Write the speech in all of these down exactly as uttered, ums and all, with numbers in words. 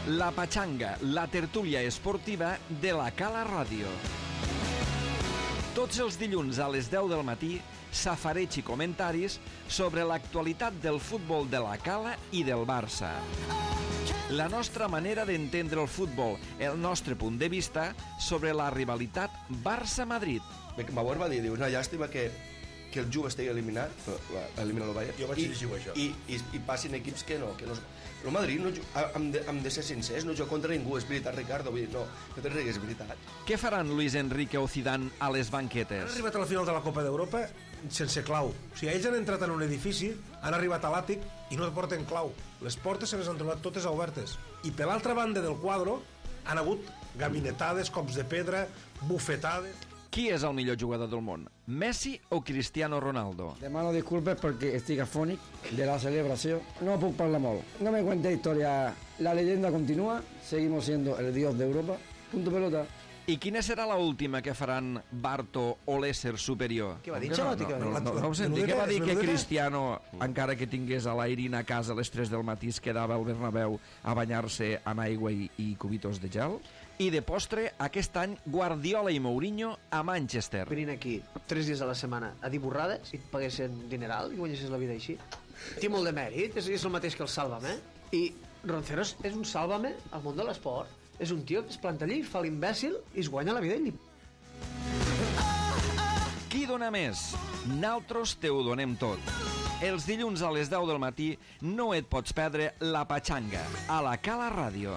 La Patxanga, la tertúlia esportiva de la Cala Ràdio. Tots els dilluns a les deu del matí, safareig i comentaris sobre l'actualitat del futbol de la Cala i del Barça. La nostra manera d'entendre el futbol, el nostre punt de vista sobre la rivalitat Barça-Madrid. Bauer va dir, diu, una llàstima que, que el Juve estigui eliminat, elimina el Bayern, jo vaig llegir això. I, i, i passin equips que no, que no... El Madrid, no, hem, de, hem de ser sincers, no juga contra ningú, és veritat, Ricardo, vull dir, no, no te rigues, és veritat. Què faran Luis Enrique o Zidane a les banquetes? Han arribat a la final de la Copa d'Europa sense clau. O sigui, ells han entrat en un edifici, han arribat a l'àtic i no porten clau. Les portes se les han trobat totes obertes. I per l'altra banda del quadre han hagut gabinetades, cops de pedra, bufetades... Qui és el millor jugador del món? Messi o Cristiano Ronaldo? Demano disculpes perquè estic afònic de la celebració. No puc parlar molt. No me cuente historia. La leyenda continúa. Seguimos siendo el dios de Europa. Punto pelota. I quina serà la última que faran Barto o l'ésser superior? Què va dir? No, no, no, no, no, no ho senti. Què va dir que Cristiano, encara que tingués a l'Airin a casa a les tres del matí, es quedava al Bernabéu a banyar-se amb aigua i, i cubitos de gel? I de postre, aquest any, Guardiola i Mourinho a Manchester. Venint aquí tres dies a la setmana a dir borrades i et paguessin dineral i guanyessis la vida així. Té molt de mèrit, és, és el mateix que el Sálvame. I Ronceros és un Sálvame al món de l'esport. És un tio que es planta allí, fa l'imbècil i es guanya la vida ell. Qui dona més? Naltros te ho donem tot. Els dilluns a les deu del matí no et pots perdre La Patxanga a la Cala Ràdio.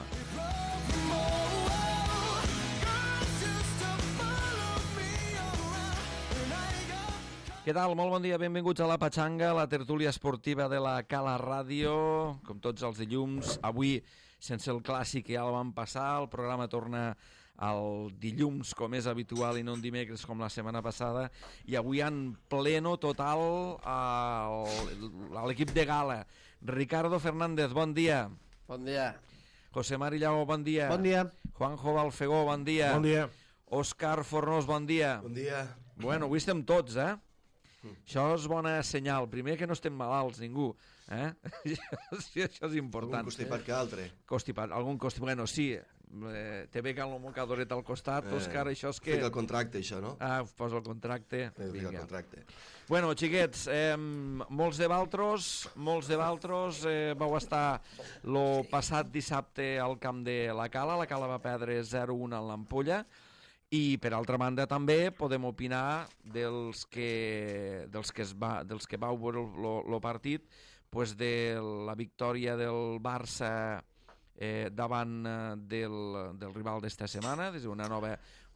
Què tal? Molt bon dia, benvinguts a La Patxanga, la tertúlia esportiva de la Cala Ràdio, com tots els dilluns. Avui, sense el clàssic que ja el vam passar, el programa torna el dilluns, com és habitual, i no en dimecres, com la setmana passada, i avui en pleno total a l'equip de gala. Ricardo Fernández, bon dia. Bon dia. José Mari Llago, bon dia. Bon dia. Juanjo Balfegó, bon dia. Bon dia. Òscar Fornós, bon dia. Bon dia. Bueno, avui estem tots, eh? Mm. Això és bona senyal. Primer que no estem malalts, ningú. Eh? Això, això és important. Algun constipat que altre. Constipat, algun constipat. Bueno, sí, eh, te ve el mocadoret al costat, eh, Òscar, això és que... Fica el contracte, això, no? Ah, posa el contracte. Fica el contracte. Bueno, xiquets, eh, molts de valtros, molts de valtros, eh, vau estar el passat dissabte al camp de la Cala. La Cala va perdre zero a u en l'Ampolla. I, per altra banda, també podem opinar dels que, dels que, es va, dels que vau veure el partit, pues de la victòria del Barça eh, davant del, del rival d'esta setmana, és una nova,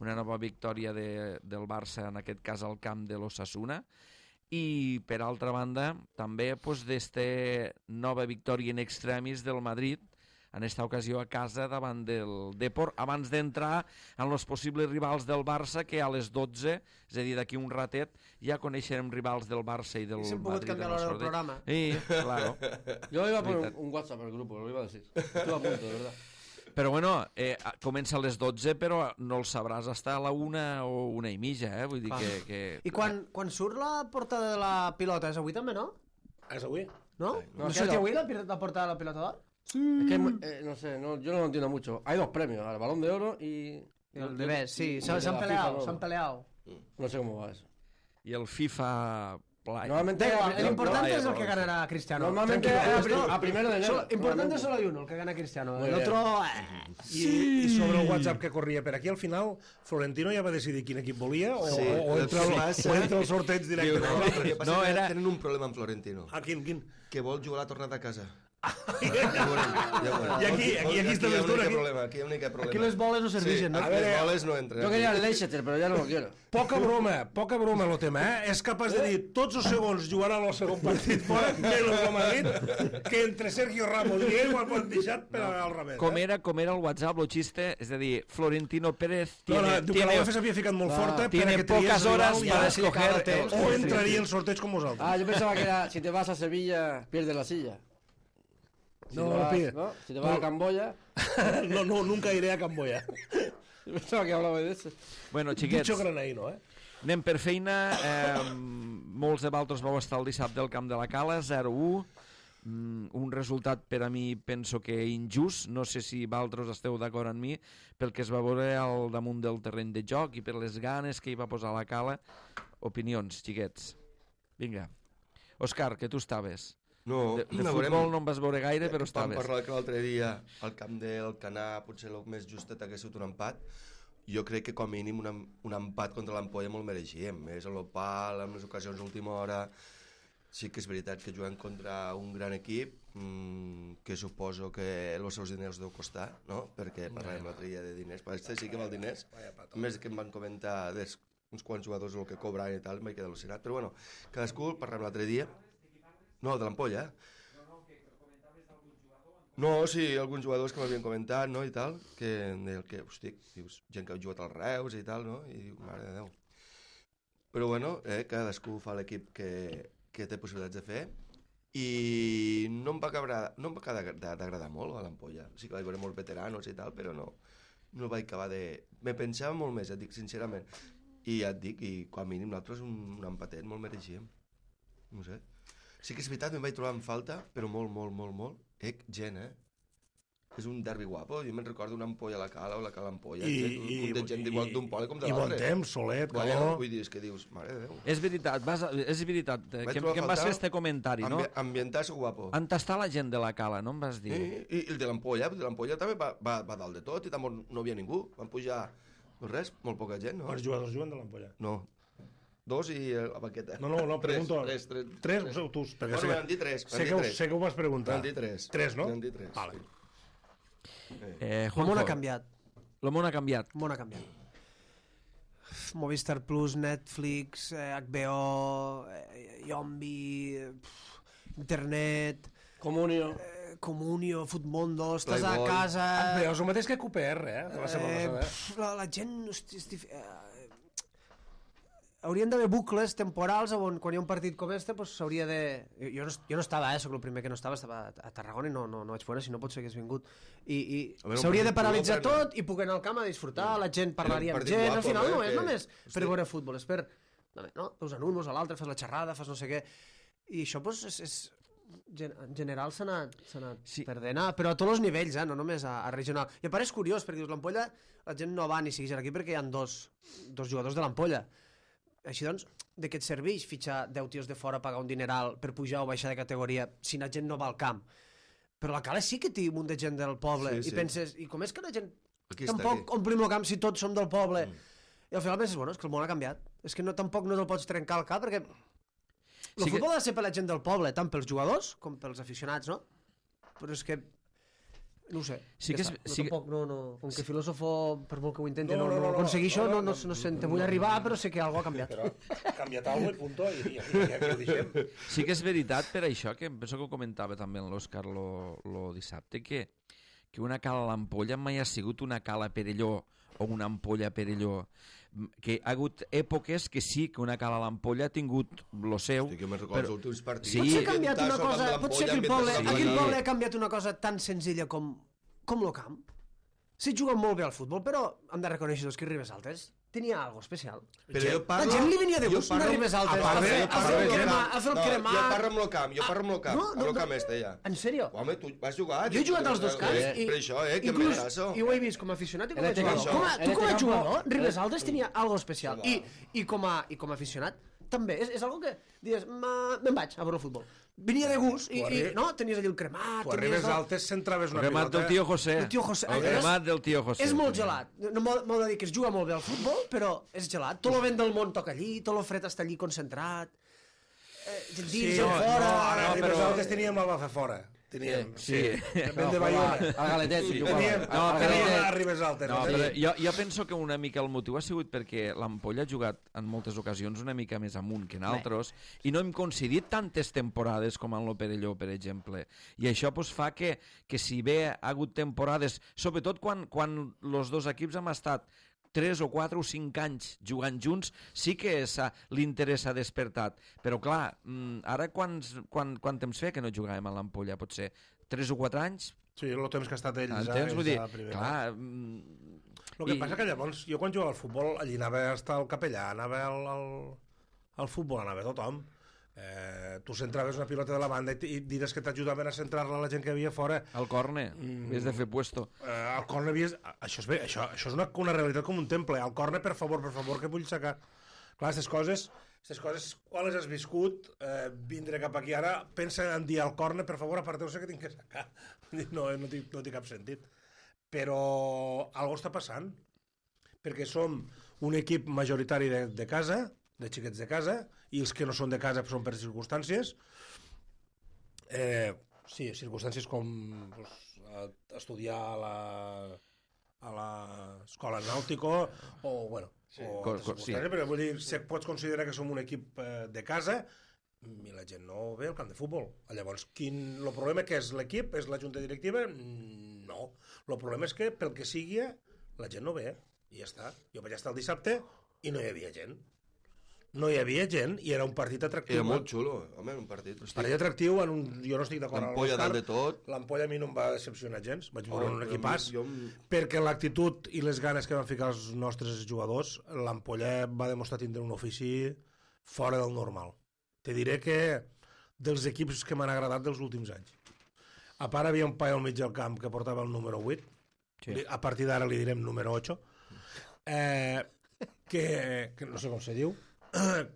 una nova victòria de, del Barça, en aquest cas al camp de l'Osasuna, i, per altra banda, també pues, d'esta nova victòria in extremis del Madrid, en esta ocasió a casa davant del Depor, abans d'entrar en els possibles rivals del Barça, que a les dotze, és a dir, d'aquí un ratet, ja coneixerem rivals del Barça i del Madrid. I s'hem pogut canviar l'hora del programa. Sí, claro. Yo iba a poner un, un WhatsApp en el grupo, lo iba a decir. Estuve a punto, de verdad. Però bueno, eh, comença a les dotze, però no el sabràs hasta a la una o una i mitja, eh? Vull dir que... que... I quan, quan surt la portada de la pilota, és avui també, no? És avui? No? No, ¿No surt avui la, la portada de la pilota d'or? Sí. Es que, eh, no sé, no, yo no lo entiendo mucho. Hay dos premios, el Balón de Oro y... Y el de Best, sí, s'han peleado, s'han peleado. No sé cómo va eso. I el FIFA... Play. Normalmente... El importante es el que ganará Cristiano. Normalmente a, a primero de enero. Solo, importante solo hay uno, el que gana Cristiano. Muy el bien. otro... Eh. Sí. I sobre el WhatsApp que corria per aquí, al final, Florentino ja va decidir quin equip volia o, Sí, o, o, entre, el, passa... o entre el sorteig directe. No, el que passa No, que era- tenen un problema amb Florentino. Ah, quin, quin? Que vol jugar la tornada a casa. I aquí, aquí, aquí està hi ha més un dur. únic Aquí. problema, aquí hi ha un únic problema. Aquí les boles no serveixen, sí, no? A veure, les boles no entren. Yo quería el Leicester, pero ya no lo quiero. Poca broma, poca broma el tema, eh? És capaç de dir tots els segons jugaran el segon partit fora, menys el Madrid, que entre Sergio Ramos i ell ho han deixat per al revés. Com Eh? era, com era el WhatsApp, el xiste, és a dir, Florentino Pérez No, no, tiene, diu que la tiene, UEFA s'havia ficat molt Ah, forta tiene perquè triés pocas rival horas i para ara escoger sí, el- o entraria el sorteig com vosaltres. Ah, yo pensaba que era si te vas a Sevilla, pierdes la silla. Si No, te vas, pide. ¿no? Si te vas No. a Camboya... No, no, nunca iré a Camboya. Yo pensaba que hablaba de eso. Bueno, xiquets, Dicho granaíno, eh? anem per feina. Eh, molts de vosaltres vau estar el dissabte al camp de la Cala, zero a u. mm, un resultat per a mi penso que injust, no sé si vosaltres esteu d'acord amb mi, pel que es va veure al damunt del terreny de joc i per les ganes que hi va posar la Cala. Opinions, xiquets. Vinga. Òscar, que tu estaves. No, De, de no futbol veurem. no en vas veure gaire, però Vam estaves. parlar que l'altre dia al camp del Canà potser el més justet hagués sigut un empat. Jo crec que com a mínim un, em- un empat contra l'Ampolla molt mereixíem. És a l'Opal, amb les ocasions d'última hora. Sí que és veritat que jugant contra un gran equip, mmm, que suposo que els seus diners deu costar, no? Perquè parlàvem l'altre dia de diners. Però este sí que val diners. A més que em van comentar des, uns quants jugadors el que cobran i tal, em vaig quedar al·lucinat. Però bueno, cadascú, parlàvem l'altre dia. No, de l'Ampolla, eh? No, sí, alguns jugadors que m'havien comentat, no, i tal, que em deien que, hosti, dius, gent que ha jugat als Reus i tal, no, i diu, mare de Déu. Però bueno, eh, cadascú fa l'equip que, que té possibilitats de fer, i no em va acabar, no em va acabar d'agradar molt a l'Ampolla. Sí que vaig veure molts veteranos i tal, però no, no vaig acabar de... Me pensava molt més, et dic sincerament. I ja et dic, i com a mínim nosaltres un, un empatet molt mereixíem. No sé. Sí que és veritat, em vaig trobar en falta, però molt, molt, molt, molt. Ec, gent, eh? És un derbi guapo. Jo me'n recordo una ampolla a la Cala o la Cala Ampolla. I, un munt de gent igual d'un poble com de i bon l'altre. temps, solet, Bueno, calor. vull dir, és que dius, mare de Déu. És veritat, vas a, és veritat, eh, Vaig que, trobar que em a vas fer faltar este comentari, no? Ambi ambientar-se guapo. On està la gent de la Cala, no em vas dir? I, i, i el de l'Ampolla, el de l'Ampolla també va, va, va dalt de tot i tampoc no havia ningú. Van pujar, no res, molt poca gent, no? Quants jugadors juguen de l'Ampolla? No. Dos i eh, la baqueta. No, no, no, pregunto. Tres, tres, tres. Tres, tres. Tu, perquè Bueno, sé, m'han dit tres, m'han sé, dit que, ho- tres. sé que ho vas preguntar. M'han dit tres. Tres, no? M'han dit tres. Vale. Eh, El Juanjo, món ha canviat. el món ha canviat. El món ha canviat. Movistar Plus, Netflix, eh, H B O, eh, Yombi, eh, pf, internet, Comunio. eh, Comunio, Futmundo, estàs a Playboy. casa... Però és el mateix que Q P R, eh? Que va ser Eh, famosa, eh? pf, la, la gent... Hosti, hosti, eh, haurien d'haver bucles temporals on quan hi ha un partit com este pues, s'hauria de... Jo, jo, no, jo no estava, eh, soc el primer que no estava, estava a Tarragona i no, no, no vaig veure, si no potser hagués vingut. I, i A veure, un s'hauria de partit paralitzar futbol, tot i poder anar al camp a disfrutar, la gent parlaria Era un amb partit gent, guapo, al final no eh, és que- només per Hosti. veure futbol, és per... No, veus en un, veus a l'altre, fas la xerrada, fas no sé què... I això pues, és, és, gen- en general s'ha anat, s'ha anat Sí. sí. perdent, ah, però a tots els nivells, eh, no només a, a regional. I a part és curiós, perquè dius, l'Ampolla, la gent no va ni segueix aquí perquè hi ha dos, dos jugadors de l'Ampolla. Així doncs, de què et serveix fitxar deu tios de fora, pagar un dineral per pujar o baixar de categoria si la gent no va al camp? Però la Cala sí que té un munt de gent del poble Sí, i sí. penses, i com és que la gent Aquí està, tampoc aquí. omplim el camp si tots som del poble? Mm. I al final penses, bueno, és que el món ha canviat. És que no, tampoc no te'l pots trencar al cap perquè el Sí que- futbol ha de ser per la gent del poble, tant pels jugadors com pels aficionats, no? Però és que no ho sé. Sí ja que és- està. no, sí que- tampoc, no, no. Com que filòsofo, per molt que ho intenti, No, no, no, no, no, no, no, aconsegueixo, no, no, no, no, no, no, sé, te no, vull no, arribar, no. però sé que alguna ha canviat. Però ha canviat alguna cosa i punto, i, i, i aquí ho deixem. Sí que és veritat per això, que em penso que ho comentava també en l'Òscar lo, lo dissabte, que, que una cala a l'Ampolla mai ha sigut una cala a Perelló o una ampolla a Perelló. M- Que ha hagut èpoques que sí que una cala a l'Ampolla ha tingut lo seu. Hosti, que me'n recordo però- els últims partits. Sí. Potser ha canviat una Ambientar-se al camp cosa, de potser l'Ampolla, aquell poble, ambientar-se al aquell camp de- poble ha canviat una cosa tan senzilla com, com el camp. Sí, juguen molt bé al futbol, però hem de reconèixer doncs, que Ribes Altes tenia algo especial. Però jo La parlo... gent li venia de jo gust parlo- anar a Ribes Altes, a part a de- fer- jo a parlo fer el del crema- camp. a fer el No, cremar. Jo parlo amb el camp, jo parlo amb el camp, No, no, amb el no. camp este ja. En sèrio? Home, tu vas jugar... Jo he jugat als dos camps Eh, i... Per això, eh, que inclús, m'agrada. i ho he vist com a aficionat i com a En este jugador. campo. Com a, En tu este com a campo- jugador, Ribes Altes tenia algo especial. Sí, I, i, com a, I com a aficionat, també. És, és algo que dius, "Ma- me'n vaig a veure el futbol. Venia de gust i, Tu i arri- no, tenies allà el cremat. Tu a tenies Ribes el- Altes centraves El una cremat pilota... del tio José. El tio José. El És- cremat del tio José. És molt gelat. No m'ho m'ho de dir que es juga molt bé al futbol, però és gelat. Tot el vent del món toca allí, tot el fred està allí concentrat. Eh, gent dins, Sí, gent no, fora. no, ara no, a Ribes però- Altes teníem el Bafe fora. Teníem, Sí. Vent de Bayona. Al Galetet, Sí, jugava. teníem, No, no, però- teníem a Ribes Altes. No, sí. però jo, jo penso que una mica el motiu ha sigut perquè l'Ampolla ha jugat en moltes ocasions una mica més amunt que en altres i no hem coincidit tantes temporades com en lo Perelló, per exemple. I això pues, fa que, que si bé ha hagut temporades, sobretot quan, quan els dos equips hem estat tres o quatre o cinc anys jugant junts, sí que s'ha- l'interès s'ha despertat. Però clar, mm, ara quants, quan, quant temps fe que no jugàvem a l'Ampolla? Potser tres o quatre anys? Sí, el temps que ha estat ells. Entens? ja, Vull dir, ja a primera. clar... mm, El que I- passa que llavors, jo quan jugava al futbol, allí anava a estar el capellà, anava al, al, al futbol, anava tothom. Eh, tu centraves una pilota de la banda i, i diràs que t'ajudaven a centrar-la la gent que havia fora. Al córner, mm. havies de fer puesto. Eh, al córner havies... Això és, bé, això, això és una, una realitat com un temple. Al córner, per favor, per favor, que vull sacar. Clar, aquestes coses, aquestes coses, quan les has viscut, eh, vindre cap aquí ara, pensa en dir al córner, per favor, aparteu-se que tinc que sacar. No, no, té, no té cap sentit. Però algo està passant, perquè som un equip majoritari de, de casa, de xiquets de casa, i els que no són de casa són per circumstàncies. Eh, sí, circumstàncies com pues, estudiar a la a l'escola nàutico o, bueno, sí, o co, co, sí. Però vull dir, si pots considerar que som un equip eh, de casa i la gent no ve al camp de futbol. Llavors, quin, el problema que és l'equip? És la junta directiva? No. El problema és que, pel que sigui, la gent no ve i ja està. Jo vaig estar el dissabte i no hi havia gent. No hi havia gent i era un partit atractiu. Era molt xulo, home, un partit. Un partit atractiu, en un... jo no estic d'acord amb l'Ampolla dalt de tot. L'Ampolla a mi no em va decepcionar gens, vaig veure Oh, un equipàs, jo- perquè l'actitud i les ganes que van ficar els nostres jugadors, l'Ampolla va demostrar tindre un ofici fora del normal. Te diré que dels equips que m'han agradat dels últims anys. A part, havia un paio al mig del camp que portava el número vuit, Sí. a partir d'ara li direm número ocho, eh, que, que no sé com se diu,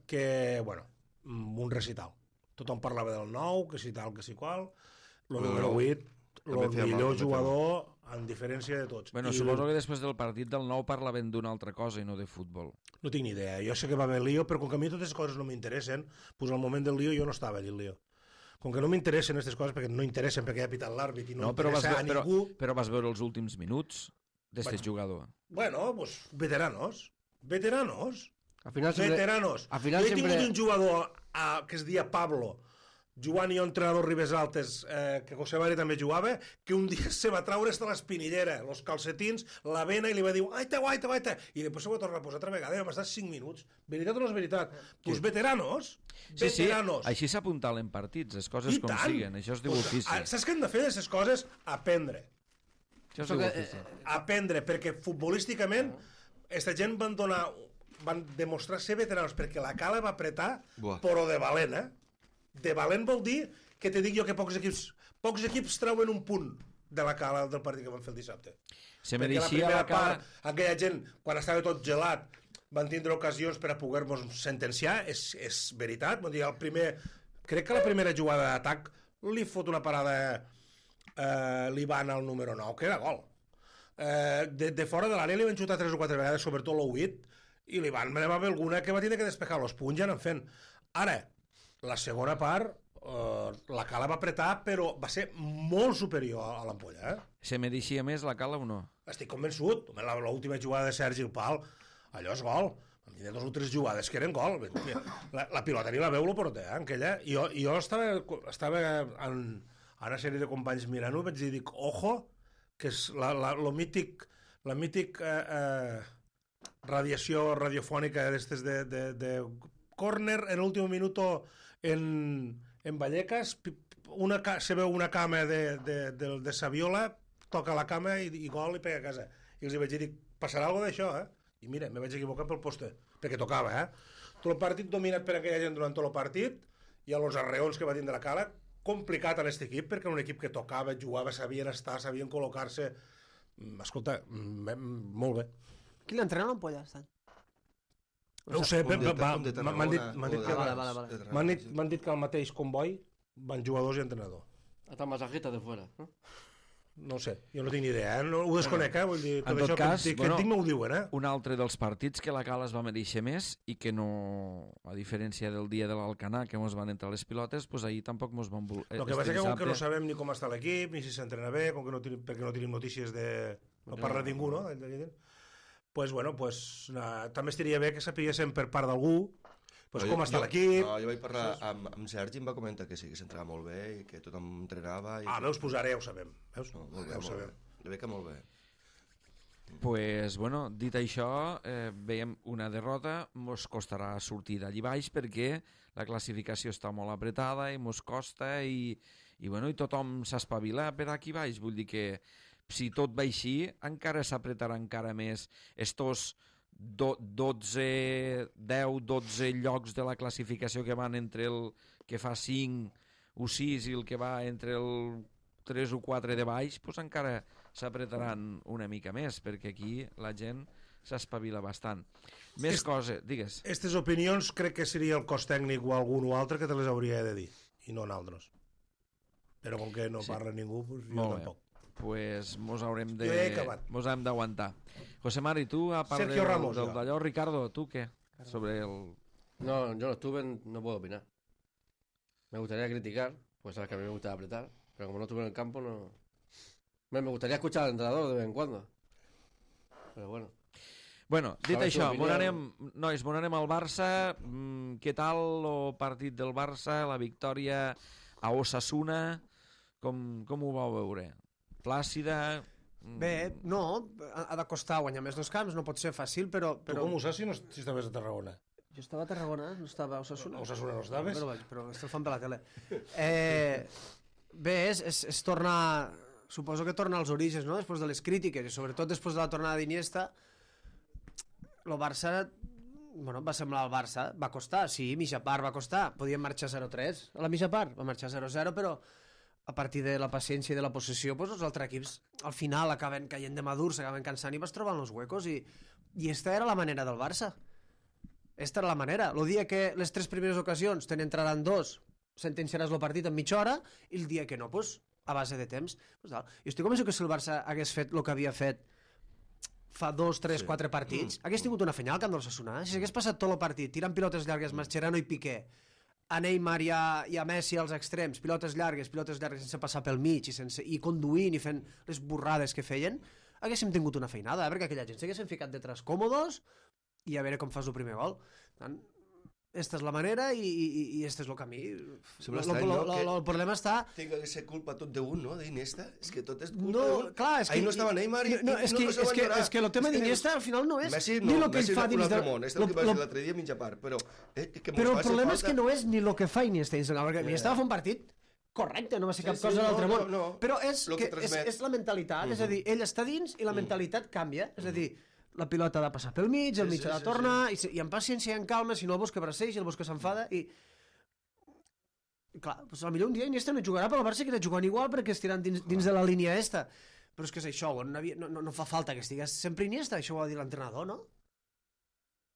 que, bueno, un recital. Tothom parlava del nou, que si tal, que si qual, el El número nou vuit, també el feia mal, millor també feia jugador en diferència de tots. Bueno, I suposo que després del partit del nou parlaven d'una altra cosa i no de futbol. no tinc ni idea. Jo sé que va haver lío, però com que a mi totes les coses no m'interessen, doncs al moment del lío jo no estava allà al lío. Com que no m'interessen aquestes coses, perquè no interessen, perquè ha pitat l'àrbit i no, No, però vas, interessa a ve- però, ningú... però vas veure els últims minuts d'este Bueno. jugador. Bueno, pues veteranos. Veteranos. Al final siempre... Veteranos. al final jo he siempre- tingut un jugador a, que es dia Pablo, jugant jo entrenador Ribes Altes, eh, que José Mari també jugava, que un dia se va traure hasta l'espinillera, los calcetins, la vena, i li va dir aita, aita, aita, i després se va tornar a posar altra vegada i vam estar cinc minuts. Veritat o no és veritat? Pues veteranos. Sí, sí, Veteranos. així s'apuntalen partits, les coses I com tant. siguen, això es diu Pues, ofici. ah, saps què hem de fer d'aquestes coses? Aprendre. Això es Això diu que, ofici. Aprendre, perquè futbolísticament aquesta gent van donar van demostrar ser veteranos, perquè la Cala va apretar, Buah. però de valent, eh? De valent vol dir que te dic jo que pocs equips pocs equips treuen un punt de la Cala del partit que van fer el dissabte. Se Perquè la mereixia primera la cara... part, aquella gent, quan estava tot gelat, van tindre ocasions per a poder-nos sentenciar, és, és veritat. Vull dir, el primer, crec que la primera jugada d'atac li fot una parada eh, l'Ivan al número nou, que era gol. Eh, de, de fora de l'àrea li van xutar tres o quatre vegades, sobretot l'O huit, i l'Ivan me va haver alguna que va tindre que despejar los punts ja anant fent. Ara, la segona part, eh, la Cala va apretar, però va ser molt superior a l'Ampolla, eh? Se mereixia més la cala o no? Estic convençut. Home, la- l'última jugada de Sergi el Pal, allò és gol. Vam tenir dues o tres jugades que eren gol. La, la pilota ni la veu lo porter, eh, aquella. I jo, jo estava, estava en, en una sèrie de companys mirant-ho i vaig dir, dic, ojo, que és la, la, lo mític, la mític eh, eh, radiació radiofònica d'estes de, de, de córner en l'últim minut en, en Vallecas, pi- una, ca- se veu una cama de, de, de, de Saviola, toca la cama i, i gol i pega a casa. I els hi vaig dir, passarà alguna d'això, eh? I mira, me vaig equivocar pel poste, perquè tocava, eh? Tot el partit dominat per aquella gent durant tot el partit, i a los arreons que va tindre la Cala, complicat a aquest equip, perquè era un equip que tocava, jugava, sabien estar, sabien col·locar-se. Mm, Escolta, mm, mm, molt bé. Qui l'entrena l'Ampolla, estan? No ho sé, Un va- de- va- un de m'han dit, Tarragona, m'han dit o que de- vale, vale, vale. de Tarragona, m'han dit, sí. m'han dit que al mateix comboi van jugadors i entrenador. Hasta masajista de fuera, ¿no? No ho sé, jo no tinc ni idea, eh? No, ho desconec, eh? Vull dir, tot En tot això cas, que, que bueno, et dic m'ho diuen, eh? Un altre dels partits que la Cala es va mereixer més i que no, a diferència del dia de l'Alcanar, que mos van entrar les pilotes, pues ahir tampoc mos van voler... El que passa és que com que no sabem ni com està l'equip, ni si s'entrena bé, com que no tenim, perquè no tenim notícies de... No parla ningú, no? Pues bueno, pues, na, també estaria bé que sapiguéssim per part d'algú pues, No, com jo- està jo- l'equip. No, jo vaig parlar amb, amb Sergi i em va comentar que sí, que s'entrava molt bé i que tothom entrenava. I Ah, que... veus, pues ara ja ho sabem. Veus? No, molt bé, ja ho molt sabem. bé. Jo veig que molt bé. Pues, bueno, dit això, eh, veiem una derrota, mos costarà sortir d'allí baix perquè la classificació està molt apretada i mos costa i, i, bueno, i tothom s'espavila per aquí baix. Vull dir que si tot va així, encara s'apretarà encara més estos dotze, deu, dotze llocs de la classificació que van entre el que fa cinc o sis i el que va entre el tres o quatre de baix, doncs encara s'apretaran una mica més, perquè aquí la gent s'espavila bastant. Més Est... coses, digues. Aquestes opinions crec que seria el cos tècnic o algun o altre que te les hauria de dir, i no nosaltres. Però com que no Sí. parla ningú, doncs jo Molt bé. tampoc. Pues mos haurem de... Jo he acabat. Mos hem d'aguantar. José Mari, tu, a part Sergio del, Ramos, del jo. d'allò, Ricardo, tu què? Sobre el... No, yo no estuve, no puedo opinar. Me gustaría criticar, pues sabes que a mí me gusta apretar, pero como no estuve en el campo, no... Me me gustaría escuchar al entrenador de vez en cuando. Pero bueno. Bueno, dit Saber això, tu mon opinió. anem, nois, mon anem al Barça. Mm, què tal el partit del Barça, la victòria a Osasuna? Com, com ho vau veure? Plàcida? Mm, Bé, no, ha ha de costar guanyar més dos camps, no pot ser fàcil, però... Tu però... com ho saps si, no, si estaves a Tarragona? Jo estava a Tarragona, no estava a Osasuna. A Osasuna no estaves? Però, vaig, però estic fan per la tele. Eh, bé, és, és, és tornar... Suposo que torna als orígens, no?, després de les crítiques, i sobretot després de la tornada d'Iniesta, el Barça, bueno, va semblar el Barça, va costar, sí, mitja part va costar, podien marxar zero tres, a la mitja part va marxar zero zero, però a partir de la paciència i de la possessió, doncs els altres equips al final acaben caient de madurs, s'acaben cansant i vas trobant els huecos, i, i esta era la manera del Barça. Esta era la manera. El dia que les tres primeres ocasions te n'entraran dos, sentenciaràs el partit en mitja hora, i el dia que no, doncs, a base de temps. Pues, jo estic convençut que si el Barça hagués fet el que havia fet fa dos, tres, sí. quatre partits, mm. hagués tingut una fenyal al camp del Osasuna. Si s'hagués passat tot el partit tirant pilotes llargues, Mascherano i Piqué, a Neymar i a, i a Messi als extrems, pilotes llargues, pilotes llargues sense passar pel mig i, sense, i conduint i fent les borrades que feien, haguéssim tingut una feinada, eh? Perquè aquella gent s'haguessin ficat detrás còmodos i a veure com fas el primer gol. Tant, esta és la manera i, i, i este és el camí. Sembla Lo- estrany, lo- no? lo- Que- lo- El problema està... Tinga que ser culpa tot d'un, no? D'Iniesta. És que tot és culpa No, d'un. clar, és que... Ahí no estava Neymar i, no, i és no, que, no se és van que, llorar. és que el tema És que d'Iniesta al final no és Messi ni no, el que Messi ell fa és un dins altre de... món, és el lo- que va lo- dir l'altre dia mitja part, però... Eh, que Però mos el faci problema és falta- que no és ni el que fa Iniesta dins del camp, perquè Iniesta va fer un partit correcte, no va ser Sí, cap sí, cosa de no, l'altre no, món. no. Però és, Lo que que és, transmet. és la mentalitat, és a dir, ell està dins i la mentalitat canvia, és a dir, la pilota ha de passar pel mig, el Sí, mig sí, ha de sí, tornar, i, se- i amb paciència i amb calma, si no el busca braceix, el busca s'enfada, i... Clar, doncs potser un dia Iniesta no jugarà, però el Barça queda jugant igual perquè estiran dins, dins de la línia esta. Però és que és això, no, havia, no, no, no fa falta que estigués sempre Iniesta, això ho ha de dir l'entrenador, no?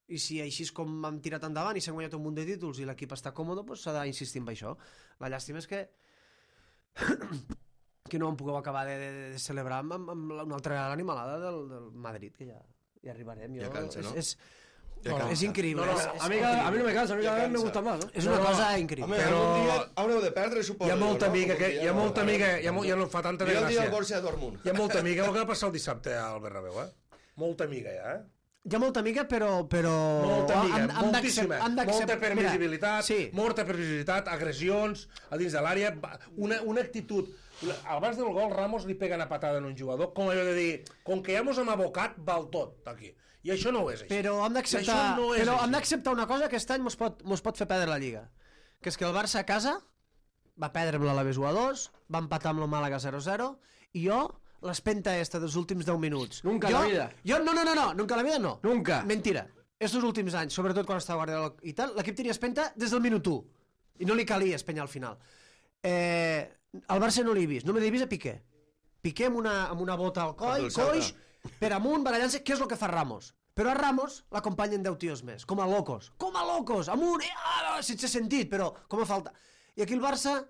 I si així és com hem tirat endavant i s'han guanyat un munt de títols i l'equip està còmode, doncs s'ha d'insistir en això. La llàstima és que que no em pugueu acabar de, de, de celebrar amb, amb, amb una altra animalada del, del Madrid, que ja, ja arribarem. Jo, Ja cansa, no? És, Ja és, cansa. és increïble. No, no, és, a és mí, a mí no me cansa, a mí Ya cada vez me cansa. gusta más, ¿no? és una No, cosa Home, increïble. Però- algun dia haureu de perdre, suposo. Hi ha molta jo, no? amiga, que, Algun hi ha dia, molta no? amiga, hi ha, mo- ja no fa tanta Mira el dia del desgràcia. Borussia Dortmund. Hi ha molta amiga, el que va passar el dissabte al Bernabéu, eh? Molta amiga, ja, eh? Hi ha molta amiga, però... però... Molta amiga, han- han moltíssima. d'accept- han d'accept- Molta previsibilitat, Mira, sí. molta previsibilitat, agressions a dins de l'àrea, va- una, una actitud... Abans del gol, Ramos li pega una patada en un jugador, com allò de dir, com que ja mos hem abocat, val tot, aquí. I això no és així. Però hem d'acceptar Això no és però així. hem d'acceptar una cosa que aquest any mos pot, mos pot fer perdre la Lliga. Que és que el Barça a casa va perdre amb l'Alavés u a dos, va empatar amb el Màlaga zero zero, i jo, l'espenta esta dels últims deu minuts... Nunca en jo, la vida. Jo, no, no, no, no, nunca en la vida no. Nunca. Mentira. Estos últims anys, sobretot quan estava Guardiola i tal, l'equip tenia espenta des del minut u. I no li calia espenyar al final. Eh, al Barça no l'he vist, no me l'he vist a Piqué. Piqué amb una, amb una bota al coll, del Celta. coix, per amunt, barallant-se, què és el que fa Ramos? Però a Ramos l'acompanyen deu tios més, com a locos, com a locos, amunt, eh, ah, sense sentit, però com a falta. I aquí el Barça,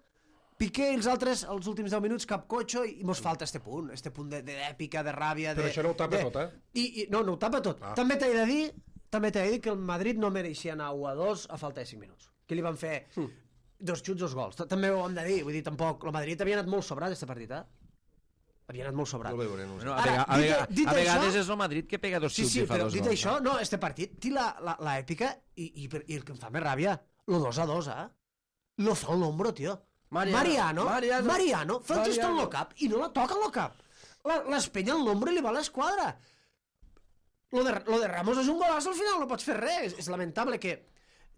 Piqué i els altres, els últims deu minuts, cap cotxo, i mos falta este punt, este punt de- de- d'èpica, de, de ràbia... Però de, això no ho tapa de, tot, eh? I, i, no, no ho tapa tot. Ah. També t'he de dir, també t'he de dir que el Madrid no mereixia anar u a dos a falta de cinc minuts. Que li van fer Hm. dos xuts, dos gols. Ta- També ho hem de dir, vull dir, tampoc... El Madrid havia anat molt sobrat, este partit, eh? Havia anat molt sobrat. No ho veuré, no ho sé. Bueno, a, Ara, vega, a, dit- vega, dit a vegades això- és el Madrid que pega dos Sí, xuts sí, i fa però dos dit gols. això, no, este partit té la, la, la èpica i, i, i el que em fa més ràbia, lo dos a dos, eh? Lo fa un hombro, tio. Mariano, Mariano, Mariano, Mariano, fa el gesto en Mariano. lo cap i no la toca en lo cap. La- L'espenya en l'ombro i li va a l'esquadra. Lo de, lo de Ramos és un golaç al final, no pots fer res. És, és lamentable que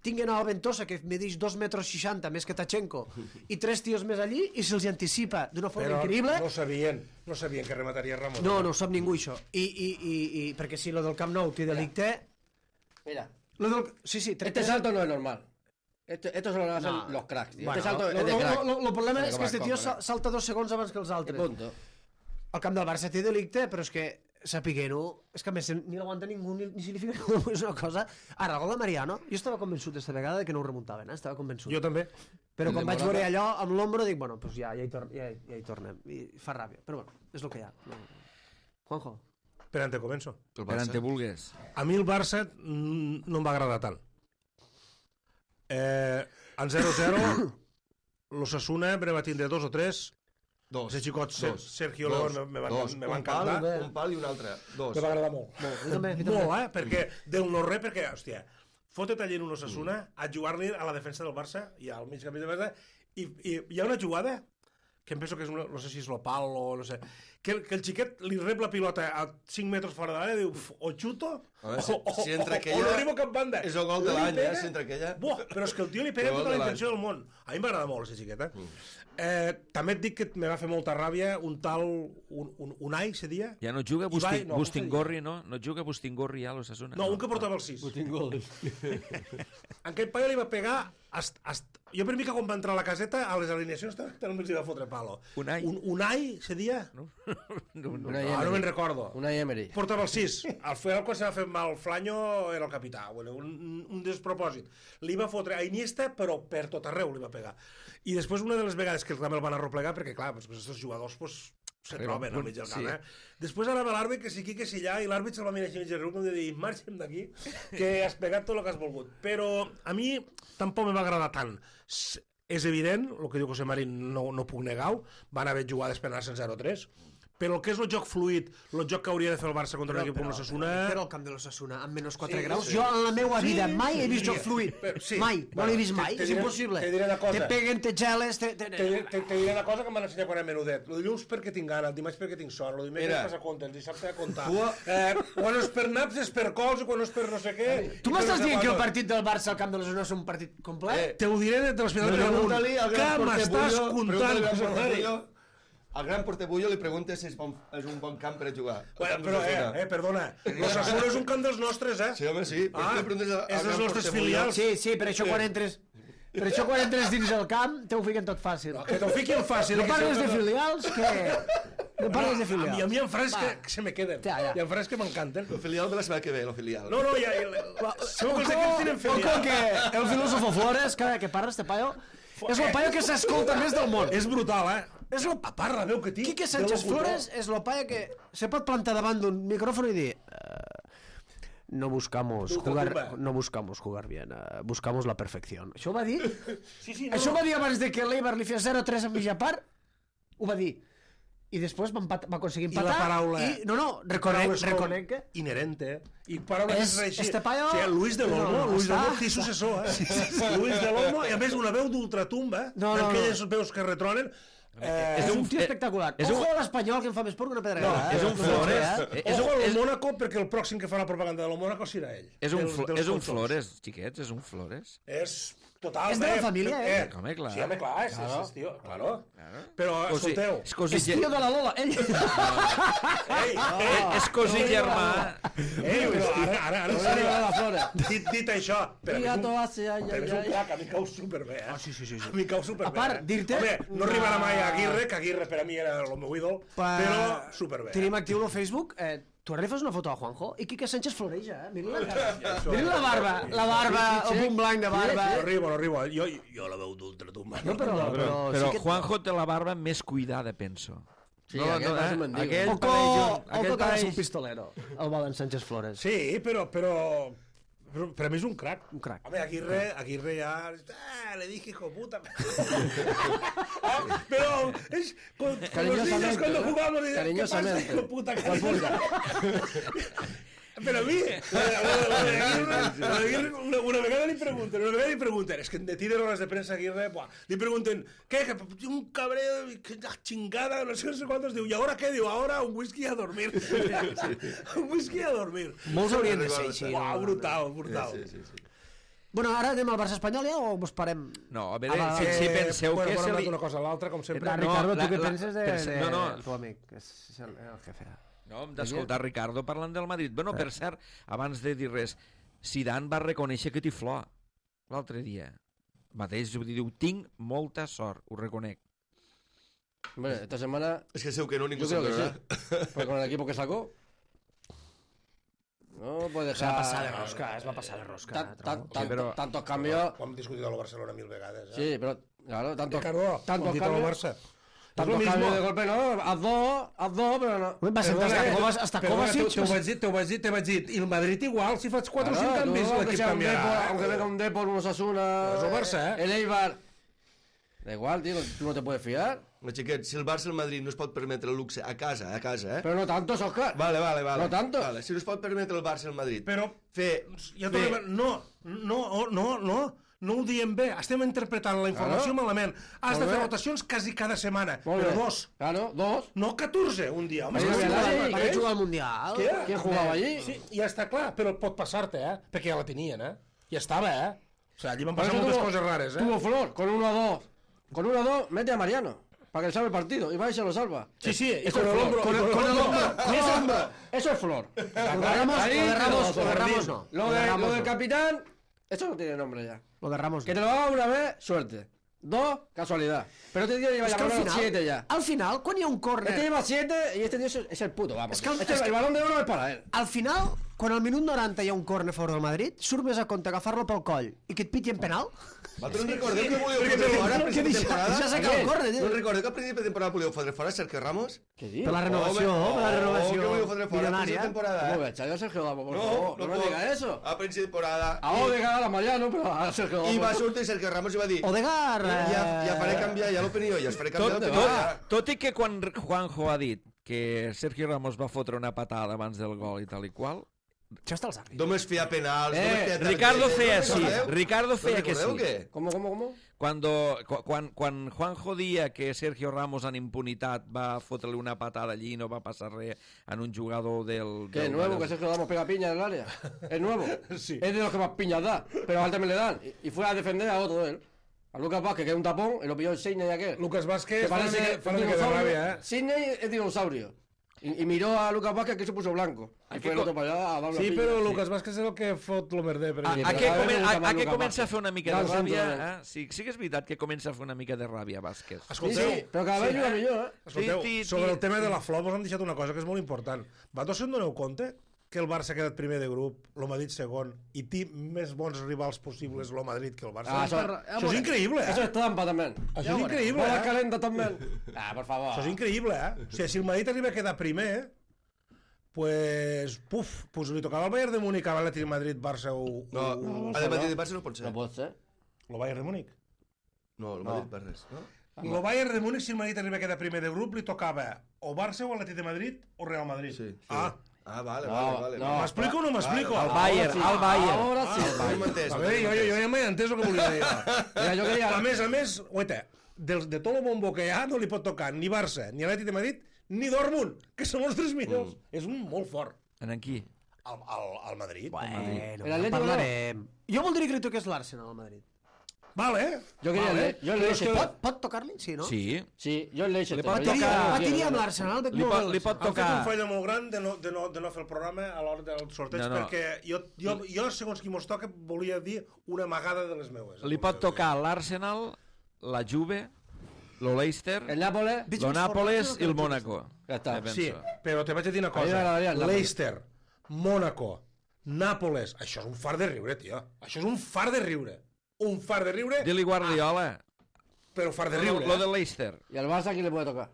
tinguen a Ventosa, que medeix dos metres seixanta més que Tachenko, i tres tios més allí, i se'ls anticipa d'una forma Però increïble. no sabien, no sabien que remataria Ramos. No, no ho sap ningú, això. I, i, i, i perquè si lo del Camp Nou té delicte... Mira, Lo del... Sí, sí, este salto no es normal. Esto, esto solo lo hacen No. los cracks, tío. Bueno, este salto lo, es de lo, crack. lo, lo problema Pero és com que este es tio compra. sa- salta dos segons abans que els I altres. punto. El camp del Barça té delicte, però és que sapiguent-ho, és que a més ni l'aguanta ningú ni, ni si li fica ningú, és una cosa... Ara, el gol de Mariano, jo estava convençut aquesta vegada de que no ho remuntaven, eh? Estava convençut. Jo també. Però El quan de vaig Morata. veure allò amb l'ombro dic, bueno, pues ja, ja, hi tor ja, ja hi tornem. I fa ràbia, però bueno, és el que hi ha. No. Juanjo. Per on te començo? El Per on Barça. te vulgues. A mi el Barça mm, no em va agradar tant. Eh, en zero zero, l'Osasuna me va tindre dos o tres. Dos. Ese xicot, Ser- Dos. Sergio Dos. León, me, me, va, Dos. me va Un pal, encantar. un pal i un altre. Dos. Me va agradar molt. Molt, jo també, jo també. Molt, eh? Perquè del no-res, perquè, hòstia, fotet allí en un Osasuna a jugar-li a la defensa del Barça i al mig camí del Barça i, i hi ha una jugada que em penso que és, una, no sé si és l'Opal o no sé, que, el- que el xiquet li rep la pilota a cinc metres fora de l'àrea i diu, "Uf, o xuto A veure, si- o, o, si entra o, aquella, o no arribo a cap banda. és el gol de Li l'any, eh, pega- si entra aquella. Buah, però és que el tio li pega El gol tota la de l'any. intenció del món. A mi m'agrada molt, aquesta xiqueta. Eh, també et dic que me va fer molta ràbia un tal, un, un, Unai, se dia? Ja no juga Ibai, Busti, no, Bustingorri, no? No juga Bustingorri ja a l'Osasuna? No, un que portava el sis. En aquell paio li va pegar... Hasta, hasta... Jo per mi que quan va entrar a la caseta, a les alineacions també els hi va fotre palo. Unai. Un, Unai, se dia? No, no, no. Una Ah, no me'n Emery. recordo. Una Emery. Portava el sis. Al final, quan se va fer mal Flanyo, era el capità. Bueno, un, un despropòsit. Li va fotre a Iniesta, però per tot arreu li va pegar. I després, una de les vegades que també el van arroplegar, perquè, clar, doncs, aquests jugadors pues, se Arriba un troben al punt, mig del sí. camp, eh? Després anava l'àrbit, que si aquí, que si allà, i l'àrbit se'l va mirar així mig de riu, com de dir, marxem d'aquí, que has pegat tot el que has volgut. Però a mi tampoc me va agradar tant. S- És evident, el que diu José Marín no, no puc negar-ho, van haver jugades per anar-se'n zero tres, però el que és el joc fluid, el joc que hauria de fer el Barça contra un equip com l'Osasuna... Però el camp de l'Osasuna, amb menys quatre Sí, graus, sí. jo en la meva Sí, vida mai he vist sí, joc fluid. però- sí. Mai, no Bueno, l'he vist te- mai, te és diré- impossible. te diré una cosa. Te peguen, te geles... Te, te... Te, te, te diré una cosa que em van ensenyar quan era menudet. El dilluns perquè tinc gana, el dimarts perquè tinc sort, el dimecres Mira. passa compte, el dissabte a comptar. Tu- Eh, quan no és per naps és per cols, i quan no és per no sé què... Tu i per m'estàs no sé dient que el quantos. partit del Barça al camp de l'Osasuna és un partit complet? Eh, Te ho diré de l'Hospital de Gramunt. Pregunta-li al Què gran porter m'estàs Bullo, contant, pregunta-li al José gran porter Mari? Bullo. Al gran porter Bullo li pregunta si és, bon, és un bon camp per a jugar. El Bueno, camp però, d'Osasuna. eh, eh, perdona, l'Osasuna és un camp dels nostres, eh? Sí, home, sí. Per Ah, què li preguntes al- al és dels gran nostres porter Bullo? filials. Sí, sí, per això quan entres... Per això quan entres dins el camp te ho fiquen tot fàcil. Que t'ho fiqui el fàcil. No que parles de sempre- filials, que... No parles de A mi, a filials. mi en frases Va. que, que se me queden. Ja, ja. Hi ha frases que m'encanten. El filial de la setmana que ve, el filial. No, no, ja... ja segur que els equips tenen Ojo filial. que el filósofo Flores, cada que parla este paio, és el paio que s'escolta més del món. És brutal, eh? És lo... A part, la veu que tinc... Quique de Sánchez locutor. Flores és el paio que se pot plantar davant d'un micrófono i dir... "Eh, no buscamos Ultratumba. jugar no buscamos jugar bien, eh, buscamos la perfección. Això ho va dir? Sí, sí, no, Això ho no. va dir abans de que l'Eibar li fes zero tres en mitja part? Ho va dir. I després va, empat, va aconseguir I la empatar. paraula... I, no, no, reconec, paraules com reconec que... Inherente. I paraules És- que és així. este paio- Sí, Luis de l'Olmo, No, no, Luis de l'Olmo, està- té successor, eh? Luis de l'Olmo, i a més una veu d'ultratumba, No, no, d'aquelles veus que retronen. Eh, És un un- tio espectacular. és un- Ojo a l'Espanyol, que em fa més por que una pedregada. és eh? un No Flores. sé, eh? És Ojo un, al és, Mónaco, perquè el pròxim que farà propaganda de la Mónaco serà ell. és un, Dels- flo, dels és un consols. Flores, xiquets, és un Flores. És total. És de la família, eh? Home, clar. Sí, home, clar, és, és, és tio, claro. Claro. Però, O sigui, escolteu, és cosí, És tio de la Lola, ell. ei, ei, és cosí germà. ei, però ara, ara, ara, en Arriba sèrio, la Flora. dit, dit això, però a mi és un, Gato hace, ay, però ay, és un ay. crac, a mi cau superbé, eh? Ah, sí, sí, sí, sí. A mi cau superbé. A part, eh? dir-te- Home, no arribarà mai a Aguirre, que Aguirre per a mi era el meu ídol, però superbé. Tenim actiu el Facebook. Eh, tu ara li fas una foto a Juanjo i Quique Sánchez floreja, eh? Mira la cara. Mira la barba, la barba, el punt blanc de barba. No arribo, no arribo. Jo, jo la veu d'ultratumba. No, però, però, Però sí que... Juanjo té la barba més cuidada, penso. Sí, aquest va ser mendigo. aquell Oco, pareix un- oco aquell que va ser pareix- un pistolero, el Valen Sánchez Flores. Sí, però, però, però per a mi és un crac. Un crac. Home, Aguirre, Aguirre ja... Ah, le dije hijo puta. Ah, pero es con, con los Cariñosamente, niños cuando ¿no? jugamos. y, ¿qué Cariñosamente. pasa, hijo puta? Però a mi, una, una vegada li pregunten, una vegada li pregunten, és que en de tires hores de premsa Aguirre, buah, li pregunten, què, que un cabreo, que chingada, no sé, no sé quantos, diu, i ara què? Diu, ara un whisky a dormir. Un whisky a dormir. Molts haurien de ser així. Buah, brutal, brutal. Sí, sí, sí. Bueno, ara anem al Barça espanyol ja o us parem? No, a veure, Ah, si, si penseu bueno, que bueno, se hem li... anat una cosa a l'altra, com sempre. La, no, Ricardo, la- tu què la- penses de, pense- de, no, no. tu amic, que és el, el jefe? No, hem d'escoltar Ricardo parlant del Madrid. Bueno, per cert, abans de dir res, Zidane va reconèixer que té flor l'altre dia. Mateix diu, tinc molta sort, ho reconec. Hombre, esta semana, Es que seu que no, ningú yo creo que s'entrarà. sí. Porque con el equipo que sacó, no puede Se va dejar... passar de rosca, es va passar de rosca. Tan- tan- trobo. tan- però- Tantos cambios... Ho hem discutit a la Barcelona mil vegades. Eh? Sí, pero, claro, tantos, Ricardo, tantos ho hem dit a la cambios... Barça. Tantos És lo cambios mismo. de golpe, no, haz dos, haz dos, pero no. Va ser Perdona, hasta eh, Kovac, hasta perdona, Kovacic. Te, te ho vaig dir, te ho vaig dir, te vaig dir. I el Madrid igual, si faig quatre o cinc canvis, tú, aunque l'equip sea un Depor, canviarà. aunque venga un Depor, un Osasuna, Es el Barça, eh. el Eibar... Da igual, tío, tú no te puedes fiar. No, xiquet, si el Barça i el Madrid no es pot permetre el luxe a casa, a casa, eh? Pero no tantos, Oscar. Vale, vale, vale. No tanto. Vale, si no es pot permetre el Barça i el Madrid. Però, Fer... ja fer... tornem... No, no, no, no. No ho diem bé, estem interpretant la informació Claro. malament. Has Molt de fer bé. rotacions quasi cada setmana, Molt però bé. dos. Claro, dos. No catorze un dia, home. Ahí és no que había sí, nadie. sí, Per què eh? jugar al Mundial? Què? ¿Quién jugaba allí? Sí, ja està clar, però pot passar-te, eh? Perquè ja la tenien, eh? Ja estava, eh? O sigui, allí van Por passar eso moltes tuvo- coses rares, eh? Tuvo Flor, con uno a dos. Con uno a dos, mete a Mariano. Para que salve el partido. Y va y se lo salva. Sí, sí, y Eso con es el Flor. hombro, Con y el, con el con el hombro. hombro. Eso es Flor. Eso es Flor. Lo de Ramos, Ahí lo de te Ramos, lo- lo de Ramos no. Lo, Lo de de, Ramos lo del no. capitán, eso no tiene nombre ya. Lo de Ramos. Que no. te lo haga una vez, suerte. Dos, casualidad. Pero este tío lleva Es ya que al por lo menos final, siete ya. al final, quan hi ha un Este córner... lleva siete y este tío es, es el puto, vamos. Es que el- Este- es que- el balón de oro es para él. Al final, quan al minut noranta hi ha un córner a favor del Madrid, surt més a compte agafar-lo pel coll i que et pitin penal? Vosaltres no recordeu que volíeu Perquè fotre fora al que principi de deixa, temporada? deixa sacar el córner, No tio. recordeu que al principi de temporada volíeu fotre fora Sergio Ramos? ¿Qué dios? Per la renovació, Home, per la oh, renovació que volíeu fotre fora al principi de milionària. temporada, ¿Cómo eh? voy a echar yo a Sergio Damo, por No, favor? No, me pot. diga eso. A principi de temporada. A Odegaard, a Mariano, pero a Sergio Damo. I va sortir Sergio Ramos i va dir... Odegaard... Ja, ja faré eh, canviar, ja l'opinió, ja us faré canviar Tot, l'opinió. tot, ja. tot i que quan Juanjo ha dit que Sergio Ramos va fotre una patada abans del gol i tal i qual, Això està als àrbits. Només feia penals, Eh, només feia Ricardo targetes, feia ¿no sí, recordeu? Ricardo ¿No feia que recordeu sí. què? ¿Cómo, cómo, cómo? Cuando, cu- quan, quan Juanjo dia que Sergio Ramos en impunitat va fotre-li una patada allí i no va passar res en un jugador del... ¿Qué del nuevo? del- Que Sergio Damos pega piña en el área. Es nuevo. Sí. Es de los que más piñas da. Pero a él también le dan. Y, y fue a defender a otro de él. A Lucas Vázquez, que es un tapón, y lo pilló el Sidney aquel. Lucas Vázquez Que fa una parece mica, fa un una mica de dinosaurio. ràbia, eh? Sidney es dinosaurio. Y, y miró a Lucas Vázquez que se puso blanco. Y Hay fue que el co- otro para allá a dar una Sí, piña. però Lucas Vázquez és el que fot lo merder. Per A, Sí, a, però què, cada come, vegada a, me gusta a más què Lucas comença a Vázquez. fer una mica de Gran ràbia? centro, Eh? Sí, sí que és veritat que comença a fer una mica de ràbia, Vázquez. Sí, Escolteu, sí, però cada vegada juga millor, eh? escolteu, Ti, ti, sobre ti. el tema de la flor vos hem deixat una cosa que és molt important. Vosaltres se'n doneu compte que el Barça ha quedat primer de grup, el Madrid segon, i té més bons rivals possibles el Madrid que el Barça? Ah, això, això- això és increïble, eh? Eso es trampa también. Això és increïble, Bola eh? calenta también. Ah, por favor. Això és increïble, eh? O sigui, si el Madrid arriba a quedar primer, pues, puf, pues li tocava al Bayern de Múnich, a l'Atlètic de Madrid, Barça o... No, o- a de Madrid i Barça no pot ser. No puede ser. el Bayern de Múnich. No, el Madrid per res, no? El Bayern de Múnich, si el Madrid arriba a quedar primer de grup, li tocava o Barça o Atlètic de Madrid o Real Madrid. Sí. sí. Ah, Ah, vale, No, vale, vale. no. m'explico o no m'explico? Ah, El Bayern, sí. el Bayern. Ahora sí. Ah, no m'he entès. A veure, jo, jo, jo ja m'he entès el que volia dir. Mira, yo quería... A més a més, oita, del, de tot el bombo que hi ha no li pot tocar ni Barça, ni Atlètic de Madrid, ni Dortmund, que són els tres millors. Mm. És un molt fort. En aquí. Al, al, al Madrid. Bueno, El ja Atlético parlarem. Jo voldria que li toqués l'Arsenal al Madrid. Vale, eh? Yo quería vale. el Le- yo el Però Leicester. és que- Pot, pot tocar-li? Sí, no? Sí. Sí, yo el Leicester. Le pot pero ya- tocar- Patiria amb l'Arsenal. veig Li molt pot, bé li pot Han fet un tocar... fallo molt gran de no, de no, de no fer el programa a l'hora del sorteig, No, no. perquè jo, jo, jo, segons qui mos toca, volia dir una amagada de les meues. Li pot tocar l'Arsenal, la Juve, lo Leicester, El Nápoles... Veig lo més Nápoles format i el que Mónaco. Ja està. Eh, penso. Sí, però te vaig a dir una A mi m'agradaria cosa. el Nàpols. Leicester, Mónaco, Nàpoles, això és un far de riure, tio. Això és un far de riure. Un far de riure, Dili Guardiola. però far de Lo, riure. lo eh? de Leicester. ¿Y al Barça quién le puede tocar?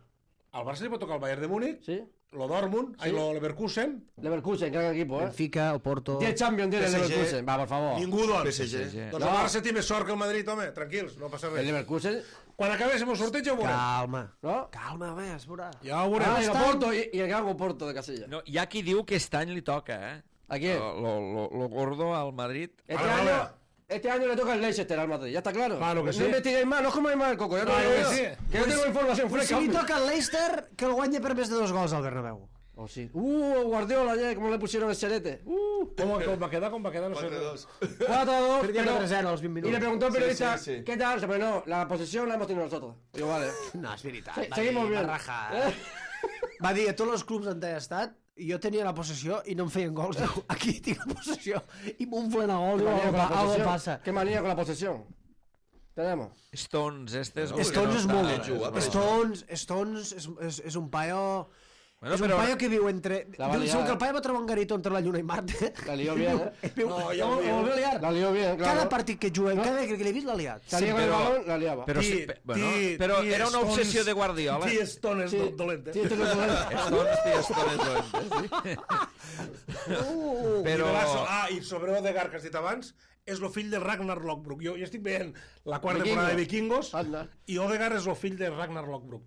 Al Barça li pot tocar el Bayern de Múnich, ¿Sí? lo Dortmund, Sí. sí. lo Leverkusen, Leverkusen, gran equipo, ¿eh? Benfica, el Porto... diez Champions tiene el P S G. Leverkusen. Va, por favor. ningú, doncs. P S G. Sí, sí. Doncs No. el Barça té més sort que el Madrid, home, tranquils, no passa El res. Leverkusen, Quan acabéssim el sorteig ja ho veurem. Calma. ¿no? Calma, a veure, es veurà. Ja ho veurem. Ah, y el Estan- Porto, y, y el gran Porto de Casilla. No, hi ha qui diu que aquest any li toca, eh? ¿A quién? Lo, lo, lo, lo gordo al Madrid. Este Vale, año... vale. Este año le toca el Leicester al Madrid, ¿ya está claro? Claro que no sí. investiguéis más, no comáis más el coco, ya te lo Claro digo que yo. sí. Que yo tengo información Pues fresca. si li hombre. toca el Leicester, que el guanya per més de dos gols al Bernabéu. O sí. Uh, Guardiola ayer, ¿cómo le pusieron el serete? Uh. ¿Cómo, ¿Cómo va a quedar? ¿Cómo va a quedar? No sé. quatre dos. cuatro a dos. Perdía pero- quatre a zero als vint Y minuts. le preguntó al Sí, periodista, sí, sí. ¿qué tal? Pero no, la posesión la hemos tenido nosotros. Digo, vale. No, és veritat. Se- va seguimos dir, bien. Va rajar. Va dir a tots els clubs on he estat, jo tenia la possessió i no em feien gols. Diu, aquí tinc la possessió i m'unflen a gols. ¿Qué Diu, manía con la algo, algo posesión? passa. ¿Qué manía con la posesión? Tenemos. Stones, este és... No, Stones és no, molt... no, jugar per Stones, Stones és, és, és un paio... Bueno, és un però- paio que viu entre... La va Diu, liar, segur que eh? el paio va trobar un garito entre la Lluna i Marte. La lió bien, ¿eh? Viu, No, no, ja ho ho veu. volvió a liar. La lió bien, claro. Cada partit que juga, cada vegada que l'he vist l'ha liat. Salía con el però- balón, la liaba. Però, sí, Ti- pe- bueno, ti- però ti era una Stones- obsessió de Guardiola. Ti Stones Sí. do- dolent, eh? Sí, esto es lo que- Stones, tio, Stones dolentes, sí. Uh, Però- I Velaso- Ah, i sobre Odegaard, que has dit abans, és el fill de Ragnar Lothbrok. Jo, jo estic veient la quarta Vikingo. temporada de Vikingos Anda. i Odegaard és el fill de Ragnar Lothbrok.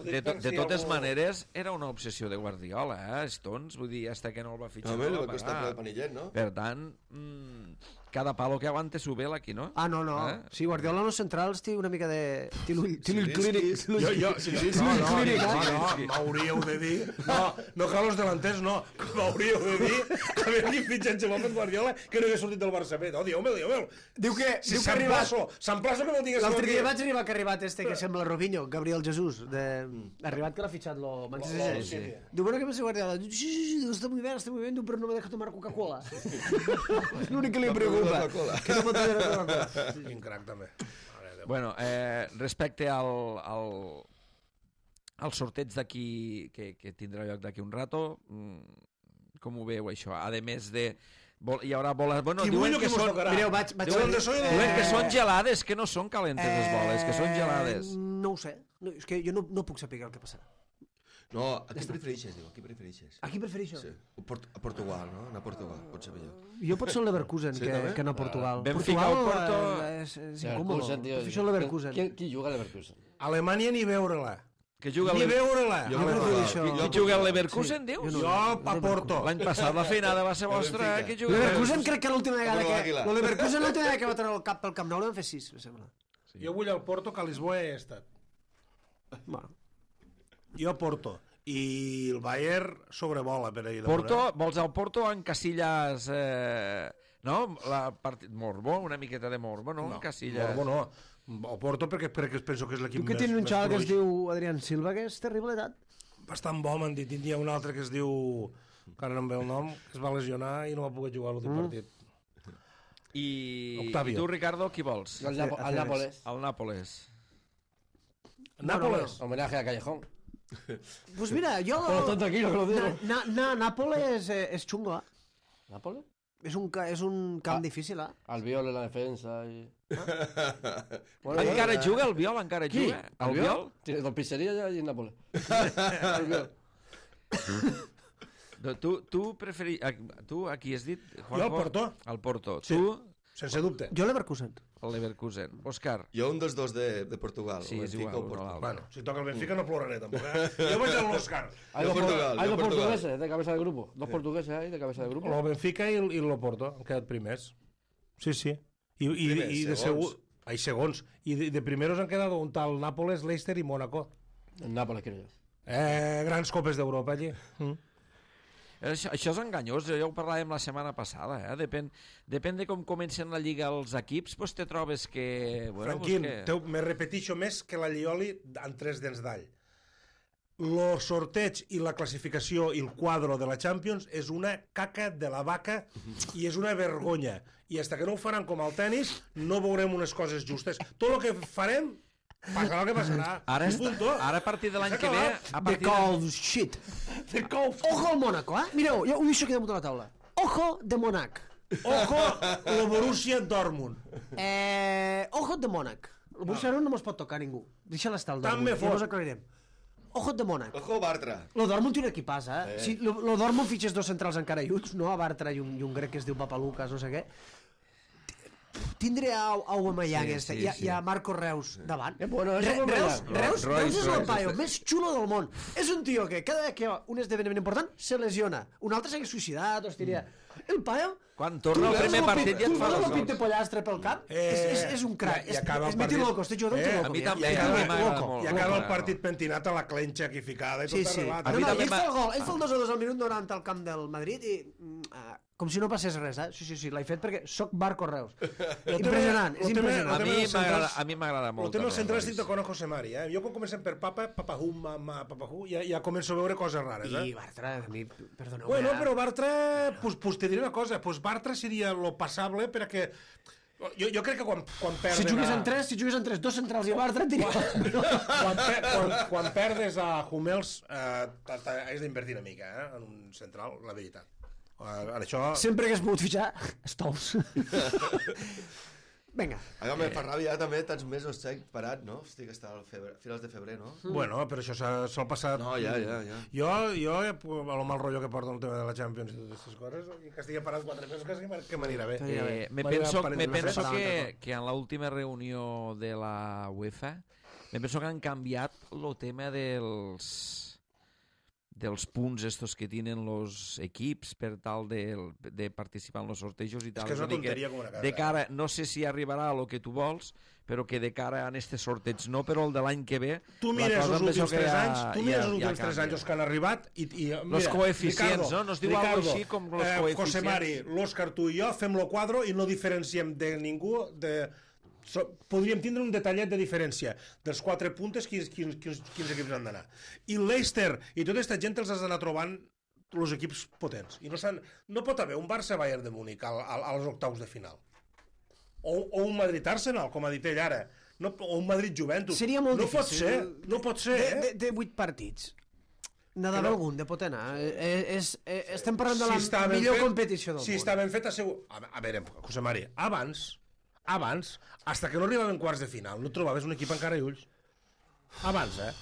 De, to, de totes maneres, era una obsessió de Guardiola, eh? Stones, vull dir, hasta que no el va fitxar. Home, no li va va costar parar. el panillet, no? Per tant, mm, cada palo que aguante su vela aquí, no? Ah, no, no. Eh? Sí, Guardiola en los centrals té una mica de... Té l'ull té l'ull Zilinski. clínic. té l'ull- Jo, jo, sí, sí, sí, No, no, no, clínic, no, eh? no, m'hauríeu de dir... No, no cal els delanters, no. M'hauríeu de dir que havia fitxat Pep Guardiola que no havia sortit del Barça B. No, dieu-me'l, dieu-me'l. Diu que, Si diu que ha arribat... s'emplaço, s'emplaço que no tingués L'altre dia aquí. vaig arribar que ha arribat este que sembla Robinho, Gabriel Jesús, de... ha arribat que l'ha fitxat lo Manchester Lo- City. sí, sí. Diu, bueno, ¿qué pasa, Guardiola? Diu, sí, sí, sí, diu, está muy bien, está muy bien, diu, pero no me deja tomar Coca-Cola. És l'únic que li No preocupa. beure Coca-Cola. Que no pot beure Coca-Cola. Quin crac, també. Mare de Déu. Bueno, eh, respecte al, al, al sorteig d'aquí, que, que tindrà lloc d'aquí un rato, mm, com ho veu això? A més de... Vol, hi haurà boles... Bueno, Qui diuen bullo que que mos són... tocarà. Mireu, vaig... vaig Diuen de soy de... Diuen que són gelades, que no són calentes les boles, que són gelades. Eh, No ho sé. No, és que jo no, no puc saber el que passarà. No, a qui prefereixes, diu, a qui prefereixes? A qui prefereixo? Sí. A Port a Portugal, no? Anar a Portugal, pot ser millor. Jo pot ser el Leverkusen, Sí, que, també? que no Portugal. Benfica Portugal o Porto- eh, és, és incòmode. Leverkusen, tío. Prefereixo el Leverkusen. ¿Quién, quién juga al Leverkusen? Alemanya ni veure-la. Que juga Ni el... veure-la. Jo Jo a prefereixo Portugal. això. Qui juga al Leverkusen, dius? Jo a Porto. L'any passat la feinada va ser vostra, Benfica. qui juga al Leverkusen crec que l'última vegada Porto que... d'Àguila. El Leverkusen l'última vegada que va treure el cap pel Camp Nou l'han fet sis, me sembla. Jo vull al Porto, que a Lisboa he estat. Bueno. Jo a Porto. I el Bayern sobrevola per ahir. Porto, vols al Porto en Casillas... Eh, no? La part... Morbo, una miqueta de Morbo, no? No, En Casillas. Morbo no. O Porto perquè, perquè penso que és l'equip Tu que més, tens un més xaval que es fluix. diu Adrián Silva, que és terrible d'edat. Bastant bo, m'han dit. Hi ha un altre que es diu... que ara no em ve el nom, que es va lesionar i no va poder jugar l'últim Mm. partit. I... Octavio. I tu, Ricardo, qui vols? Al, Napo- al Nápoles. El Nàpoles. Nàpoles. Homenaje a Callejón. Pues mira, jo... Pero está tranquilo que lo digo. Na, na, Nàpoles és, és xungo, eh? ¿Nápoles? És un, ca- és un camp Ah. difícil, eh? Albiol en la defensa y... Encara juga el Viol, encara ¿Qui? juga. El Viol? Tiene dos pizzerías ya allí en Nápoles. Albiol. No, Tu, tu, preferi... a- tu a qui has dit? Jo al Porto. Al Porto. Sí. Tu, Sense dubte. Jo Leverkusen. el Leverkusen. Òscar. Jo un dels dos de, de Portugal. Sí, o és Benfica igual, o un o Portugal. l'altre. Bueno, si toca el Benfica no ploraré tampoc, eh? Jo vaig a l'Òscar. Hay Yo dos, por- Portugal, hay yo dos Portugal. portugueses de cabeza de grupo. Dos portugueses ahí de cabeza de grupo. El Benfica i el, i el Porto han quedat primers. Sí, sí. I, i, Primers, i de segons. segur... Ai, segons. I de, de primeros han quedat un tal Nàpoles, Leicester i Mónaco. En Nápoles quiero yo. Eh, grans copes d'Europa allí. Mm. Això, això és enganyós, ja ho parlàvem la setmana passada, eh? Depèn, depèn de com comencen la lliga els equips, doncs te trobes que... Bueno, Franquín, pues que... te, me repetixo més que la Llioli amb tres dents d'all. El sorteig i la classificació i el quadro de la Champions és una caca de la vaca i és una vergonya. I hasta que no ho faran com al tennis, no veurem unes coses justes. Tot el que farem, passarà el que passarà. Ara, I està, punto. ara a partir de l'any S'ha que ve... acabat. A De partir de... Colf, shit. De Colf. Ojo al Mónaco, eh? Mireu, jo ho deixo aquí damunt de la taula. Ojo de Mónac. Ojo, el Borussia Dortmund. Eh, ojo de Mónac. El Borussia Dortmund no mos pot tocar ningú. Deixa l'estar el Tant me Dortmund, fot. ja mos aclarirem. Ojo de Mónac. Ojo, Bartra. Lo Dortmund té un equipàs, eh? Eh. Si lo, lo Dortmund fitxes dos centrals encara lluts, no? A Bartra i un, i un grec que es diu Papalucas, no sé què. tindre a Aubameyang Sí, este, sí, i, a, sí. i a Marco Reus davant. Eh, bueno, eso Re- es Reus, Aubameyang. Reus, Royce, Reus és el Royce, paio este. més xulo del món. És un tio que cada vegada que hi ha un esdeveniment important se lesiona. Un altre s'hagués suïcidat, o es diria... El paio... Quan torna el primer partit ja et fa dos dos gols. gols. de pollastre pel cap. Eh, és, és, és un crac. i És, acaba el és meti partit. loco, este jugador Eh, té loco. a mi mira. també, I I acaba, acaba, m'agrada loco. molt. i acaba el Loco. partit pentinat a la clenxa equificada i tot Sí, sí. arreglat. A No, mi no, també ell m'ha- fa el gol, ell fa el dos a dos al minut noranta al camp del Madrid i mm, ah, com si no passés res, eh? Sí, sí, sí, l'he fet perquè sóc Marco Reus. Impressionant, és Lo tema- impressionant. A tema mi dels m'agrada centrals- a mi m'agrada molt. El tema del central Royce. estic d'acord amb José Mari, eh? Jo quan comencem per Papa, Papajú, Mama, Papajú, ja, ja començo a veure coses rares, eh? I Bartra, a mi, perdoneu. Bueno, però Bartra, pues, pues te diré una cosa, pues Bartra seria lo passable perquè jo, jo crec que quan, quan perden... Si jugués a- en tres, si jugués en tres, dos centrals i Bartra, et diria... quan, per, quan, quan perdes a Hummels eh, has d'invertir una mica eh, en un central, la veritat. Eh, en això... Sempre hagués pogut fitxar Stols. Vinga. Ara me fa ràbia també tants mesos sec parat, no? Estic hasta el febre, finals de febrer, no? Bueno, però això s'ha s'ha passat... No, ja, ja, ja. Jo, jo, a lo mal rotllo que porta el tema de la Champions i totes aquestes coses, i que estigui parat quatre mesos, quasi que m'anirà bé. Eh, me M'anirà penso, parell me de penso mesos. que, que en l'última reunió de la UEFA me penso que han canviat el tema dels dels punts estos que tenen los equips per tal de, de participar en los sortejos i tal. que és una a dir tonteria com una casa, de cara, no sé si arribarà a lo que tu vols, però que de cara a este sorteig no, però el de l'any que ve Tu la mires cosa els em penso últims que tres ja- anys, tu ja- mires els ja últims tres canvia. anys els que han arribat i, i mira, Los coeficients, Ricardo, no? No es diu algo Ricardo, així com los eh, José coeficients. Mari, l'Òscar, tu i jo fem lo quadro i no diferenciem de ningú de... So, podríem tindre un detallet de diferència dels quatre puntes quins, quins, quins, quins equips han d'anar i l'Eister i tota aquesta gent els has d'anar trobant els equips potents i no, no pot haver un Barça-Bayern de Múnich al, al, als octaus de final o, o un Madrid-Arsenal com ha dit ell ara no, o un Madrid-Juventus Seria molt no difícil. pot ser, no pot ser De, eh? de, de vuit partits. N'ha Que d'haver no. algun de pot anar. Eh, és, eh, estem parlant de la està ben millor fet- competició del si món. està ben fet, assegur... A, a veure, José Mari, abans, abans, hasta que no arribaven quarts de final, no trobaves un equip encara i ulls. Abans, eh?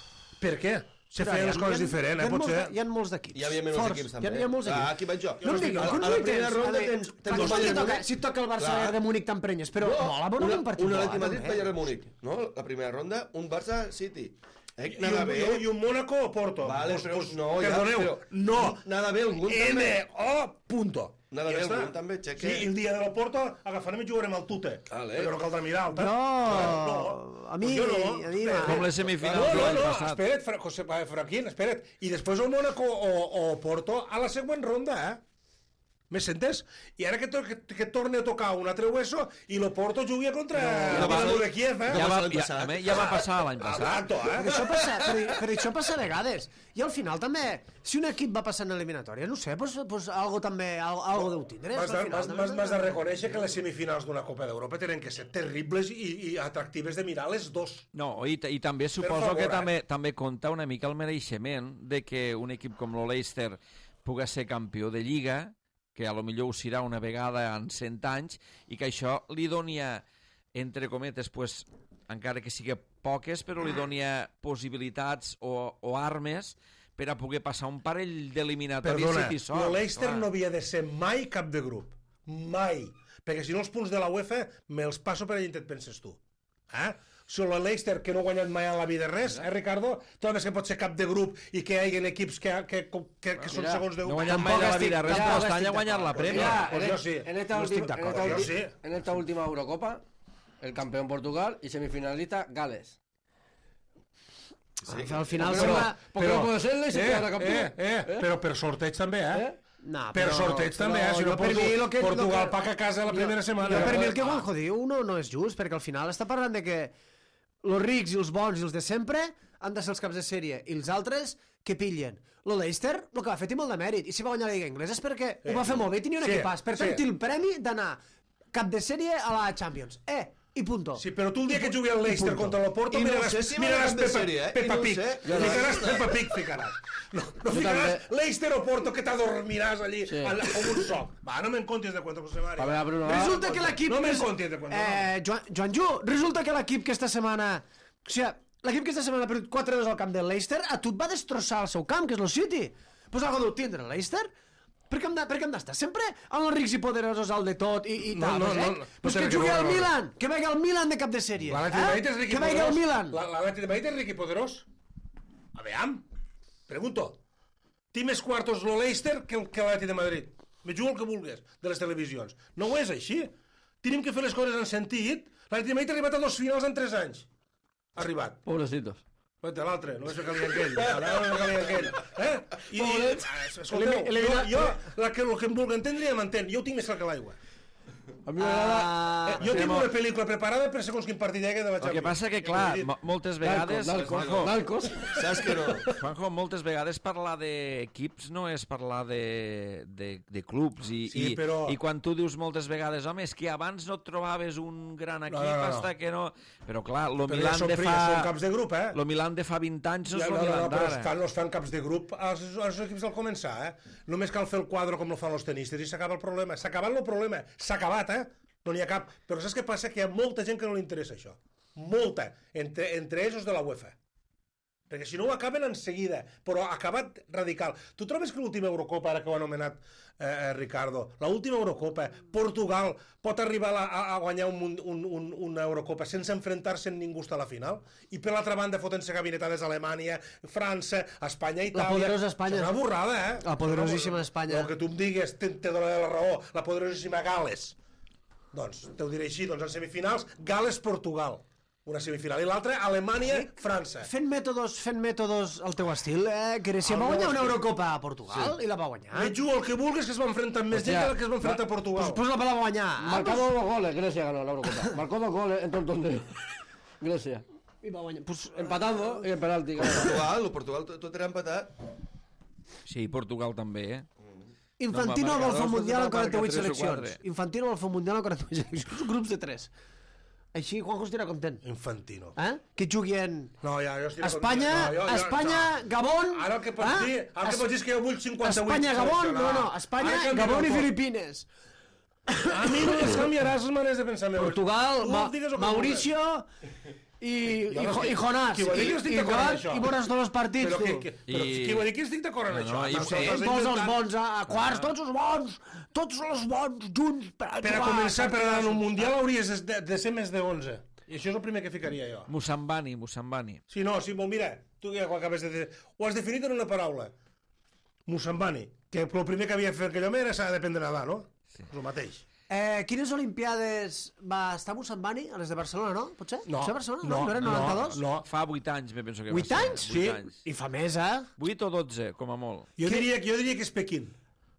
Per què? Se Però feien hi ha- les coses hi ha- diferent, hi eh? ha molts Potser... de- Hi ha molts d'equips. Hi havia menys Forts. equips, Hi ha, també. hi ha molts Ah, equips. aquí vaig jo. No em digueu, A- que a no la hi primera tens. ronda A veure, tens- tens clar, el si Bayern et toca, Múnich. si et toca el Barça Clar. de Múnich t'emprenyes, però No, mola veure una, un partit. un mola, Atleti Madrid, també. Bayern de Múnich, no? La primera ronda, un Barça-City. Eh, I nada un, bé. i un Mónaco o Porto. Vale, Pues- però pues, no, ja, perdoneu, però- no. Nada bé, algun N també. O punto. Nada Ja bé, està. algun també, xeque. Sí, i el dia de la Porto agafarem i jugarem al Tute. Vale. Però no caldrà mirar alta. No, a mi, Pues jo no. a mi Espera. Com les semifinals No, de no, l'any no, passat. espera't, Fra José, eh, Franquín, espera't. I després el Mónaco o, o Porto a la següent ronda, eh? Me sentes? I ara que, to que, que torni a tocar un altre hueso i lo Porto jugui contra No, el no, Dinamo no. de Kiev, eh? Ja va va, l'any ja, passat. a mi ja va passar l'any passat. Exacto, Perquè eh? això passa, però, però això passa a vegades. I al final també, si un equip va passant en eliminatòria, no sé, pues, pues algo també, algo, algo deu tindre. M'has de, al final m'has- també. m'has- m'has de reconèixer que les semifinals d'una Copa d'Europa tenen que ser terribles i, i atractives de mirar les dos. No, i, i també suposo favor, que eh? també també compta una mica el mereixement de que un equip com el Leicester pugui ser campió de Lliga, que a lo millor ho serà una vegada en cent anys, i que això li donia, entre cometes, pues, encara que sigui poques, però li donia possibilitats o, o armes per a poder passar un parell d'eliminatòries Perdona, si t'hi sort. el Leicester clar. no havia de ser mai cap de grup. Mai. Perquè si no els punts de la UEFA me'ls passo per allà on et penses tu. Eh? Si el Leicester, que no ha guanyat mai a la vida res, eh, Ricardo? Tot que pot ser cap de grup i que hi hagi equips que, que, que, que són mira, segons de... No ha guanyat mai de la vida res, però este any ha guanyat la Premier. Mira, en, pues yo sí. en esta, No estic ulti- en, d'acord, esta jo ulti- sí. en esta última Eurocopa, el campeón Portugal y semifinalista Gales. Sí. Al final Però- sembla... Porque no puede ser el Leicester eh, que ahora campeón. eh, eh, però per sorteig també, eh? ¿Eh? No, Per sorteig també, eh? Si no, per Portu mi lo que- lo Portugal que- paga a casa la primera setmana. Jo, per eh? mi el que Juanjo diu no, no és just, perquè al final està parlant de que els rics i els bons i els de sempre han de ser els caps de sèrie i els altres que pillen. El Leicester, el que va fer té molt de mèrit, i si va guanyar la Lliga Inglesa és perquè Eh, ho va fer molt bé i tenia un sí, equipàs. Per tant, sí. té el premi d'anar cap de sèrie a la Champions. Eh, i punto. Sí, però tu el dia que jugui el Leicester punto. contra l'Oporto I no miraràs, sé si miraràs va de Peppa, sèrie, eh? I Peppa no ho Pig. sé. Ficaràs Peppa Pig, ficaràs. No, no ficaràs Leicester o Porto que t'adormiràs allí Sí. al- com un soc. Va, no me'n contis de cuento, José Mari. A ver, Bruno, Resulta que l'equip... No me'n més- contis de cuento. Eh, Joan, Joan Ju, resulta que l'equip que esta setmana... O sigui, l'equip que esta setmana ha perdut quatre dos al camp del Leicester, a tu et va destrossar el seu camp, que és el City. Pues algo deu tindre el Leicester. Per què hem de- per què hem d'estar sempre amb els rics i poderosos al de tot i, i No, tal, no, eh? no, no, Pues no que té jugui res a al veure. Milan, que vegi el Milan de cap de sèrie. L'Atlètic de Madrid és Eh? ric i Que vegi el poderós. Milan. La- L'Atlètic de Madrid és ric i poderós. A veure, pregunto. Té més quartos lo Leicester que el- que l'Atlètic de Madrid. Me jugo el que vulgues de les televisions. No ho és així. Tenim que fer les coses en sentit. L'Atlètic de Madrid ha arribat a dos finals en tres anys. Ha arribat. Pobrecitos. Vete, l'altre, només fer calia aquell. Ara no calia aquell. Eh? I, i, Pobrets. escolteu, jo, Elimina- jo la que, el que em vulgui entendre ja m'entén. Jo ho tinc més clar que l'aigua. A mi m'agrada... Ah, Eh, jo tinc una pel·lícula preparada per segons quin partit hi hagi de vaig El que passa que, clar, mo- moltes vegades... Narcos, Juanjo, narcos. Saps que no? Juanjo, moltes vegades parlar d'equips no és parlar de, de, de clubs i, Sí, i, però- i quan tu dius moltes vegades, home, és que abans no et trobaves un gran equip no, no. hasta que no... Però clar, lo Però ja Milan són, de ja són fa... caps de grup, eh? Lo Milan de fa vint anys no és Ja, lo no, no, Milan no, però d'ara. estan, no estan caps de grup als, als equips del començar, eh? Només cal fer el quadre com lo fan els tenistes i s'acaba el problema. S'ha acabat el problema. S'ha acabat, eh? No n'hi ha cap. Però saps què passa? Que hi ha molta gent que no li interessa això. Molta. Entre, entre ells els de la UEFA. Perquè si no ho acaben en seguida, però ha acabat radical. Tu trobes que l'última Eurocopa, ara que ho ha anomenat eh, Ricardo, l'última Eurocopa, Portugal pot arribar a, a, a guanyar un, mun- un, un, una Eurocopa sense enfrontar-se amb ningú a la final? I per l'altra banda fotent-se gabinetades a Alemanya, França, Espanya, Itàlia... poderosa Espanya. És una borrada, eh? La poderosíssima Espanya. El que tu em digues, te, te donaré la raó, la poderosíssima Gales. Doncs, te ho diré així, doncs en semifinals, Gales-Portugal. Una semifinal. I l'altra, Alemanya-França. Fent mètodos, fent mètodos al teu estil, eh? Grècia Al va meu guanyar una estil. Eurocopa a Portugal i la va guanyar. Me jugo el que vulguis, que es va enfrentar amb més gent que la que es va enfrentar a Portugal. Pues, pues la va guanyar. Ah, Marcado dos goles, Grecia ganó la Eurocopa. Marcó dos goles en todo el torneo. Grecia. I va guanyar. Pues, Empatando y en penalti. ganó. Portugal, el Portugal tot, tot era empatat. Sí, Portugal també, eh? Infantino No, vol fer un marcadors, mundial en marca quaranta-vuit tres o seleccions. quatre. Infantino vol fer un mundial en quaranta-vuit seleccions. Grups de tres. Així Juanjo estarà content. Infantino. Eh? Que juguin No, ja, jo estic... Espanya, no, jo, jo, Espanya, no. Gabon... Ara el que pots eh? dir, ara el que Es- pots dir és que jo vull cinquanta-vuit Espanya, Gabon, no, seleccionar. no, Espanya, Ara canvia Gabon el i tot. Filipines. A mi no les canviaràs les maneres de pensar meves. Portugal, Tu Ma digues el que Mauricio i, Jo i, no Jo- estic- i Jonàs. qui ho ha dit I, que estic i, d'acord amb Joan, això? i veuràs tots els partits, Però, que, tu. que, però I- qui ho ha dit que estic d'acord amb No, això? no, i- No, Sí, te l'has Posa els inventat. bons a, a quarts, tots els bons, tots els bons, junts, per a Per a jugar, començar, per anar en un partidassos. mundial hauries de, de ser més de onze. I això és el primer que ficaria jo. Musambani, Musambani. Sí, no, sí, bon, mira, tu ja ho acabes de dir. Ho has definit en una paraula. Musambani, que el primer que havia fet aquell home era s'ha d'aprendre a nedar, no? Sí. El mateix. Eh, quines Olimpiades va estar Musambani? A les de Barcelona, no? Potser? No, Potser a Barcelona? no, No, no, eren noranta-dos? No, Fa vuit anys, me penso que Vuit va ser. anys? Sí. Vuit anys. I fa més, eh? Vuit o dotze, com a molt. jo diria, jo diria que és Pequín.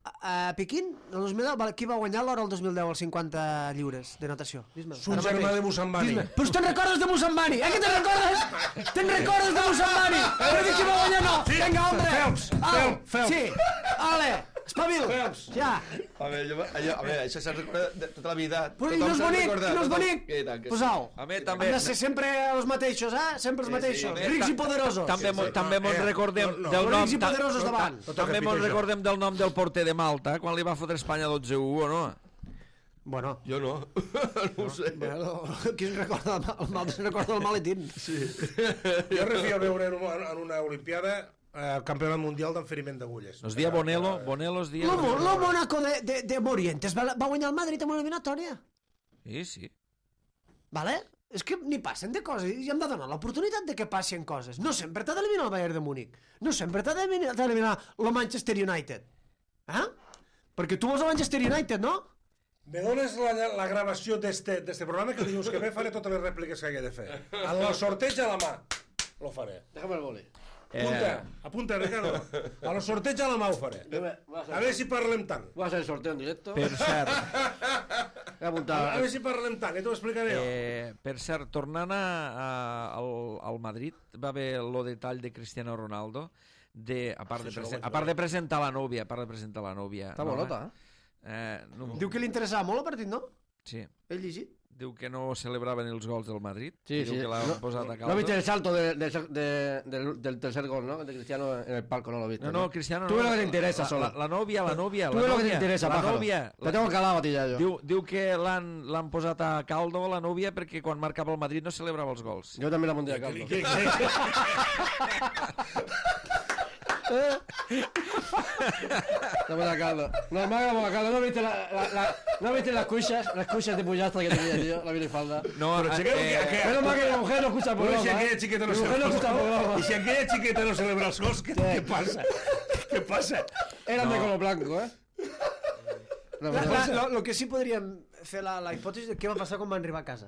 A, a Pequín, el dos mil deu, va- qui va guanyar l'hora el dos mil deu als cinquanta lliures de natació? Dis-me. És un Ara germà mateix. de Musambani. Dis-me. Però te'n recordes de Musambani? Eh que te'n recordes? Te'n recordes de Musambani? Però que qui va guanyar no? Sí. Vinga, hombre. Phelps, Au, Phelps, Phelps. Sí. Ale, espavil. Phelps. Ja. A veure, jo, allò, a veure això se'n recorda de tota la vida. Però i no és se'n bonic, recorda, i no és tothom- bonic. I tant que sí. Posau. A mi també... Han de ser sempre els mateixos, eh? Sempre els Sí, sí, mateixos. a mi Rics ta- i poderosos. També, mo- també mos eh, recordem no, no. del nom... Rics i ta- poderosos davant. No toca També mos pitjor. recordem del nom del porter de Malta, quan li va fotre Espanya dotze a u, o no? Bueno, Jo no, no ho sé. bueno, qui es recorda el mal, el mal se'n recorda el maletín. Jo refio a veure en una, en una olimpiada eh, el campionat mundial d'enferiment d'agulles. Nos dia Bonelo, Bonelo es dia... Lo, Mo- lo Mónaco de, de, de Morientes va, va guanyar el Madrid en una eliminatòria. Sí, sí. Vale? És que ni passen de coses i hem de donar l'oportunitat de que passin coses. No sempre t'ha d'eliminar el Bayern de Múnich. No sempre t'ha d'eliminar d'eliminar el Manchester United. Eh? Perquè tu vols el Manchester United, no? Me dones la, la gravació d'este programa que dilluns que ve faré totes les rèpliques que hagi de fer. En el sorteig a la mà. Lo faré. Déjame el boli. Apunta, apunta, Ricardo. A lo sorteig a la mà ho faré. Voy a A hacer, veure si parlem tant. voy a hacer el sorteo en directo. Per cert, Voy a A, apuntar. a veure si parlem tant, ja t'ho explicaré jo. eh, per cert, tornant a, a, al, al Madrid, va haver el detall de Cristiano Ronaldo, de, a, part de Sí, això ho presen- vaig a part de presentar la nòvia, a part de presentar la nòvia... Está no, bolota, ¿eh? Eh, no, Diu que li interessava molt el partit, no? sí. He llegit. Diu que no celebraven els gols del Madrid. Sí, Diu sí. que l'han No, posat a ¿No viste caldo. el salto de- de- de- del, del tercer gol, no? De Cristiano en el palco, no lo viste. No, no, Cristiano... Tú no, ves lo que te interesa la, solo. La, la nòvia, la nòvia, Tú la ves lo que te nòvia, interesa, la pájaro. nòvia. Te tengo calado a ti ya yo. Diu, diu que l'han l'han posat a caldo, la nòvia, perquè quan marcava el Madrid no celebrava els gols. Yo también la pondría a caldo. Que- que- La buena caldo. No, me haga buena caldo. ¿No viste, la, la, la, ¿no viste las cuchas? Las cuchas de pollastra que tenía, tío. La minifalda. No, Però eh, si aquell, eh, que, Menos mal que la mujer no escucha el Però programa. si aquella ¿eh? xiqueta no Mi mujer no escucha el celebra programa. I si aquella xiqueta no celebra els gols, què, què passa? Què passa? Eran de color blanco, ¿eh? No, La, pero- la, lo, lo que sí podríem fer la, la hipòtesi de què va passar quan van arribar a casa.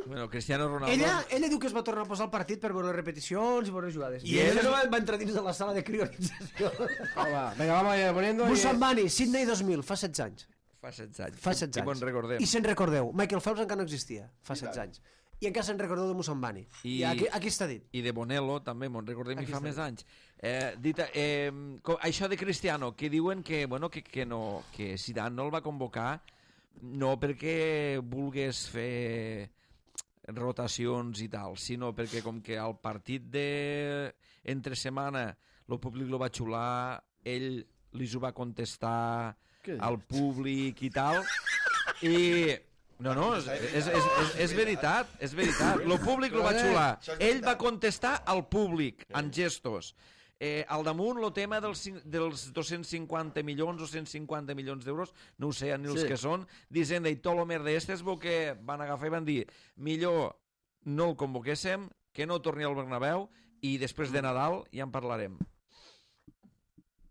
bueno, Cristiano Ronaldo... Ella, ella diu que es va tornar a posar al partit per veure les repeticions i veure les jugades. I I ell ella es- no va, va entrar dins de la sala de crionització. Va, venga, vamos a ir poniendo. y- Mussambani, Sydney dos mil, fa setze anys. Fa setze anys. Fa setze Que bon anys. recordem. I se'n recordeu. Michael Phelps encara no existia, fa setze anys. I encara se'n recordeu de Mussambani. I, I- I aquí, aquí està dit. I de Bonello, també, me'n recordem, i Aquí fa està més dit. anys. Eh, dita, eh, co- això de Cristiano, que diuen que, bueno, que, que, no, que Zidane no el va convocar no perquè vulgués fer rotacions i tal, sinó perquè com que al partit de entre setmana el públic lo va xular, ell li ho va contestar Què dius? al públic i tal, i... No, no, és, és, és, és, és veritat, és veritat. El públic lo va xular. Ell va contestar al públic, en gestos. Eh, al damunt, el tema dels, cin- dels dos-cents cinquanta milions o cent cinquanta milions d'euros, no ho sé ni els Sí. que són, dient i tot el mer d'estes, bo que van agafar i van dir millor no el convoquéssim, que no torni al Bernabéu i després de Nadal ja en parlarem.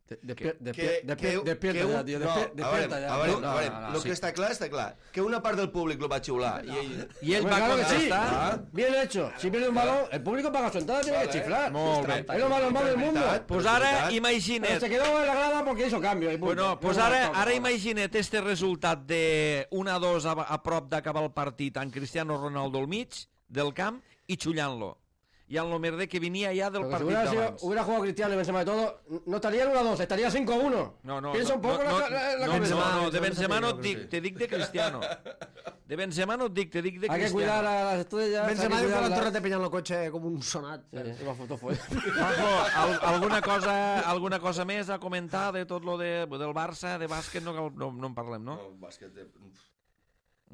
De- despier- Que, despier- despier- que, Despierta que ya, un- tío. no, despier- a veure, Despierta ya. a veure, No, a veure, no, no, lo sí. que està clar, està clar. Que una part del públic lo va xiular. I ell... I ell Hombre, va claro que sí. contestar... Bien hecho. Si pierde un balón, el público paga su entrada, tiene que chiflar. Molt bé. Es lo más normal del mundo. Veritat. Pues Però és ara, veritat. Pero imagina't, se quedó en la grada porque hizo cambio. y punto. bueno, pues No, no, ara, no, no, ara no. imagina't este resultat de un a dos a, a prop d'acabar el partit amb Cristiano Ronaldo al mig del camp i xullant-lo. I amb lo merder que venia ja del Porque si partit hubiera, sido- d'abans. hubiera jugado Cristiano y Benzema y todo, no estaría en uno a dos, estaría cinco a uno. No, no, Piensa no, un poco no, la, la, la no, cabeza. no, no, de Benzema Benzema no et no dic, sé. te dic de Cristiano. De Benzema no et dic, te dic de Hay que cuidar Cristiano. a las estrellas. Benzema hay diu que l'han cuidarlas. tornat a penyar el cotxe com un sonat. Sí, sí, va foto fue. Juanjo, al, alguna, cosa, alguna cosa més a comentar de tot lo de, del Barça, de bàsquet, no, cal- no, no en parlem, no? No, bàsquet de...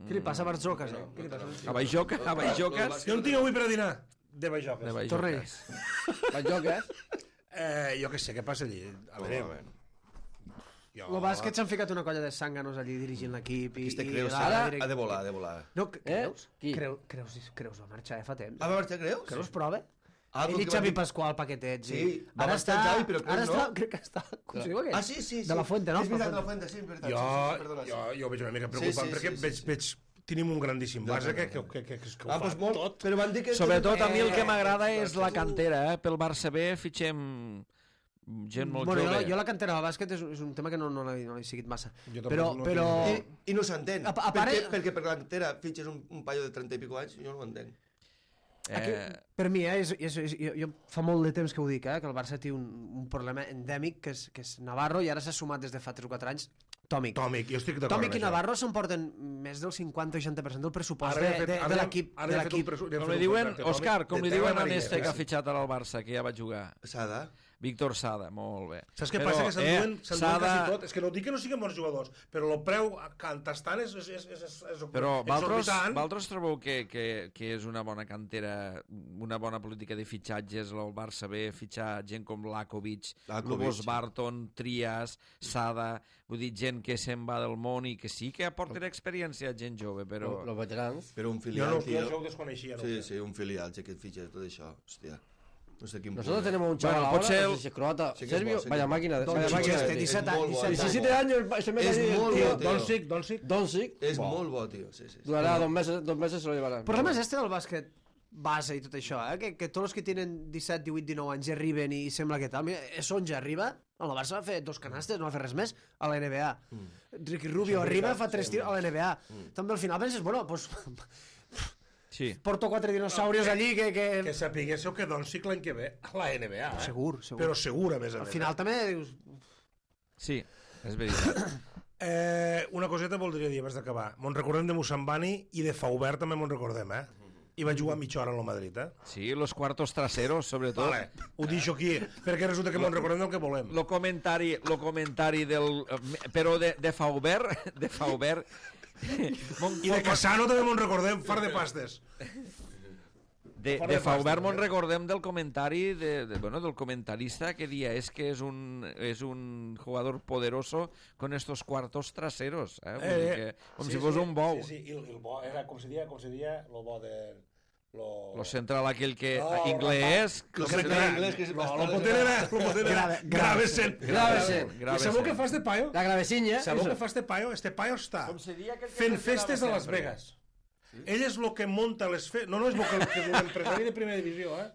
Què li passa a Barzoques, eh? Què li passa? A Baixoca, a Baixoques. Jo en tinc avui per a dinar. De Bajoques. De Torrell. Baixoques. Las jocas. Eh, jo què sé, què passa allí? A veure... Jo... El bàsquet s'han ficat una colla de sànganos allí dirigint l'equip i, Este i Creus la- ha, direct- ha de volar, ha de volar. No, que- Eh? Creus? Qui? Creu, Creus, Creus va marxar, eh, fa temps. Ah, va marxar Creus? Creus prova? Ah, Ell i perquè va Xavi dir- Pasqual, paquetets. Sí, i... va ara marxar està, Xavi, però Creus ara no. està, crec que està... Com se diu aquest? Ah, sí, sí, sí. De la Fuente, no? És veritat, de De la Fuente, sí, és veritat. Jo, sí, sí, perdona, jo, sí. jo veig una mica Sí, preocupat sí, perquè sí, sí. veig, veig, tenim un grandíssim No, base no, no, que, no. que, que, que, que ho Ah, fa doncs molt, tot. però van dir que... Sobretot a mi el que Eh, m'agrada eh, és la cantera, eh? Pel Barça B fitxem gent molt bueno, jove. jo, jo la cantera del bàsquet és, és un tema que no, no l'he no l'he seguit massa. Jo tampoc Però, no però... tinc- I, I no s'entén. A- a perquè, part- perquè per l'entera fitxes un, un paio de trenta i pico anys, jo no ho entenc. Aquí, Eh, per mi, eh, és, és, és, jo, jo fa molt de temps que ho dic, eh, que el Barça té un, un problema endèmic que és, que és Navarro i ara s'ha sumat des de fa tres o quatre anys Tòmic. Tòmic, jo estic d'acord Tòmic amb i això. Navarro s'emporten més del cinquanta o seixanta per cent del pressupost Ara de, li ha fet- de, ara de li ha- l'equip. ara De li ha fet un l'equip. presu- li ha com fet li un diuen, contracte, Tòmic, Òscar, com de li terra diuen a marinera, este que ha sí. fitxat ara al Barça, que ja va jugar? Sada. Víctor Sada, molt bé. Saps què Però, passa? Que s'enduen eh, s'enduen Sada- quasi tot. És que no dic que no siguin bons jugadors, però el preu cantastant és, és, és, és, és Però Valtros, exorbitant. Valtros trobeu que, que, que és una bona cantera, una bona política de fitxatges, el Barça B, fitxar gent com Lakovic, Lakovic, Lobos sí. Barton, Trias, Sada, vull dir, gent que se'n va del món i que sí que aporten experiència a gent jove, però... Los veteranos. Però un Jo, filial, no, jo tio. això ho desconeixia. No? Sí, sí, un filial, sí, que et fitxa tot això. Hòstia. No sé quin Nosotros punt. tenemos un chaval Bueno, ahora, potser no el- sé si es croata, Sí que es serbio, bo, sí que vaya es bo. máquina, de- Don vaya Chico máquina. este, de- disset anys, molt bo, disset és anys. diecisiete años, se mete És allí el molt tío. bo, tio. Doncic, Doncic. Doncic, És buah, molt bo, tio. Sí, sí. sí. durará dos meses, dos meses se lo llevarán. El problema és este del bàsquet base i tot això, eh? que, que tots els que tenen disset, divuit, dinou anys ja arriben i sembla que tal. Mira, Sonja arriba, el Barça va fer dos canastes, no va fer res més, a la N B A. Mm. Ricky Rubio arriba, fa tres tirs a la N B A. Mm. També al final penses, bueno, pues, Sí. porto quatre dinosaurios allí que... que... Que sapiguéssiu que Doncic l'any que ve a la N B A. Eh? Segur, segur. Però segur, a més a Al més. final també dius... Sí, és veritat. Eh, una coseta voldria dir abans d'acabar. Me'n recordem de Mussambani i de Faubert també me'n recordem, eh? I va jugar mitja hora a la Madrid, eh? Sí, los cuartos traseros, sobretot. Vale, ho deixo aquí, perquè resulta que me'n recordem del que volem. Lo comentari, lo comentari del... eh, Però de, de Faubert, de Faubert... I de Casano també me'n recordem, far de pastes. De, de Fauvermont recordem del comentari de, de, bueno, del comentarista que dia és que és un, és un jugador poderoso con estos cuartos traseros, eh? Vull dir que, com sí, si fos sí, un bou. Sí, sí, i el, el bo era, com se dia, com se dia, el bo de... Lo, lo central aquell que no, inglès... Lo que era inglès, que no, lo potent era... Lo potent era... Gravesen. Gravesen. I sabeu què fa este paio? La gravesinya. Sabeu què fa este paio? Este paio està Com se dia que fent festes a Las Vegas. Ell és el que monta les festes... No, no, és, que, que és un empresari de primera divisió, eh?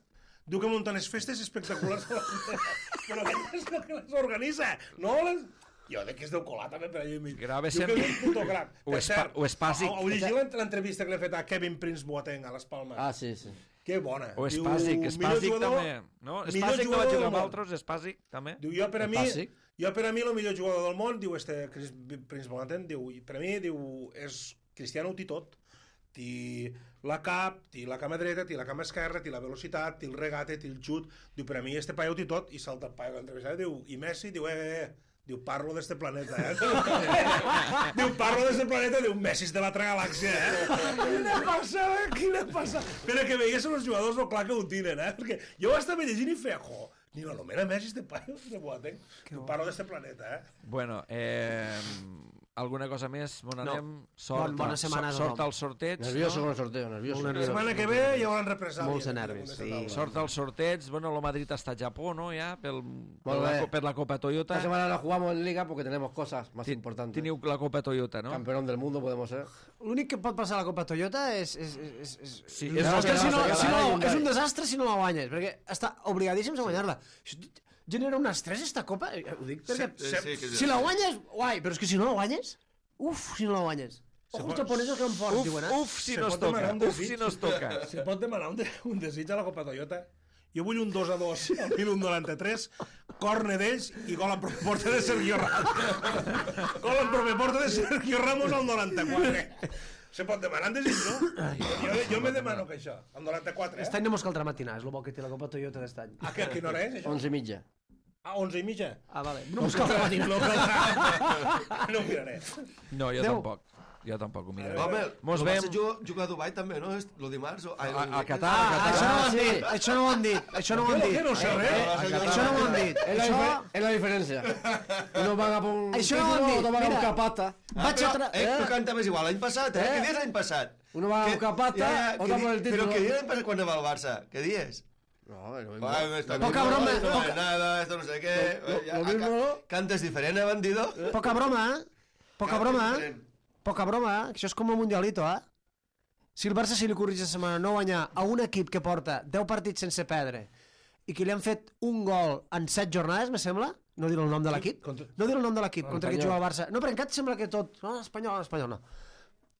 Diu que munta les festes espectaculars a Las Vegas. Però ell és el que les organitza. No les... Jo de que és del colar també per allà i mig. Gravesen. Diu que és un puto crac. O Espa- o Espàsic. Heu llegit l'entrevista que li ha fet a Kevin Prince Boateng a les Palmes? Ah, sí, sí. Que bona. O Espàsic, Espàsic també. No? Espàsic no va jugar amb altres, Espàsic també. Diu, jo per a mi, Espàsic. jo per a mi el millor jugador del món, diu este Chris Prince Boateng, diu, i per a mi, diu, és Cristiano ho té tot. Té la cap, té la cama dreta, té la cama esquerra, té la velocitat, té el regate, té el xut. Diu, per a mi este paio ho té tot, i salta el paio que l'entrevista, diu, i Messi, diu, eh, eh, eh. Diu, parlo d'este planeta, eh? Diu, parlo d'este planeta, diu, Messi és de l'altra galàxia, eh? Quina passada, quina passada. Però que veies els jugadors, no clar que ho tenen, eh? Perquè jo estava llegint i feia, jo, ni l'anomena Messi este paio, de Boateng. Diu, parlo d'este planeta, eh? Bueno, eh, alguna cosa més? Bon anem? No. Sort, Bon- bona setmana a sort tothom. al sorteig. Nervioso no? con el sorteo, nervioso. Molt La nerviós. setmana que ve hi haurà represàlies. Molts de nervis, sí. Sort al sorteig. Bueno, el Madrid està a Japó, ¿no? Ja, pel, per, Molt la, bé. co- per la Copa Toyota. Esta semana la jugamos en Liga porque tenemos cosas más Ti- importantes. Teniu la Copa Toyota, no? Campeón del mundo podemos ser. L'únic que pot passar a la Copa Toyota és... és, és, és, Sí, és, és és, el que que si no, no, si no, Hyundai. és un desastre si no la guanyes, perquè està obligadíssims a guanyar-la. Això genera un estrès, esta Copa, eh, ho dic perquè... Sí, sí, que Si la guanyes, guai, però és que si no la guanyes, uf, si no la guanyes. Ojo, els japonesos que van forts, Uf, diuen, eh? uf, si Se no es pot demanar toca. un Uf, desig? si no es toca. Se pot demanar un, de, un desig a la Copa Toyota? Jo vull un dos a dos al minut noranta-tres, corne d'ells i gol en propi porta de Sergio Ramos. Gol en propi porta de Sergio Ramos al noranta-quatre. Se pot demanar un desig, no? Jo, jo me demano que això, al noranta-quatre, Aquest eh? any no mos caldrà matinar, és el bo que té la Copa Toyota d'aquest any. A, que, a quina hora és, això? Once y milla. A onze i mitja? Ah, vale. No mos caldrà matinar. No caldrà. No ho miraré. No, jo Adéu. tampoc. Jo tampoc ho miraré. Home, Mos el vem Barça juga, juga a Dubai també, no? És el dimarts? O... Ai, a, a el- Qatar, Ah, a això Qatar. no ho han dit, això no ho han dit, això no ho han Que dit. no sé res. Això no ho han dit. Es la, Això... difer- es la diferencia. Unos van a por un Això no ho título, han dit. otros van a Mira. buscar pasta. Ah, Vaig a però, tra... eh, tu cantaves igual l'any passat, eh? Eh? Què dies l'any passat? Uno va a Que- buscar pasta, ja, ja, otro que por el di- título. Però què dies l'any passat quan anava al Barça? Què dies? No, es lo mismo. Ah, esto Poca mismo, broma, esto no poca- es nada, esto no sé qué. Lo- lo- Ya, lo acá- mismo, ¿no? Cantes diferent, eh, bandido? Poca broma, eh? Poca Cantes broma, eh? diferent. Poca broma, eh? Això és com el Mundialito, eh? Si el Barça, si li corrigeix la setmana, no guanyar a un equip que porta deu partits sense perdre i que li han fet un gol en set jornades, me sembla, no dir el nom de l'equip, Contra- no dir el nom de l'equip contra qui Espanyol. juga el Barça. No, però encara et sembla que tot... No, espanyol, espanyol, no.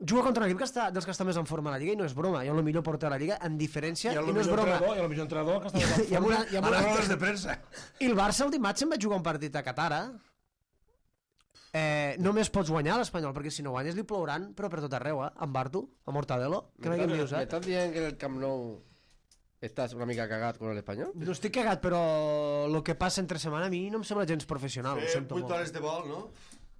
Juga contra un equip que està, dels que està més en forma a la Lliga i no és broma. I el millor porter de la Lliga, en diferència, I el i no és millor broma. entrenador, i el millor entrenador que estava en I amb una- i amb a una- les rodes de premsa. I el Barça el dimarts se'n va jugar un partit a Qatar, eh? Eh, només pots guanyar l'Espanyol, perquè si no guanyes li plouran, però per tot arreu, eh? En Bartu, a Mortadelo, que ¿Me no hi estás- dius, ¿Me eh? estás diciendo que en el Camp Nou estás una mica cagat con el español? No estic cagat, però el que passa entre setmana a mi no em sembla gens professional, ho Eh, sento vuit molt. hores de vol, no?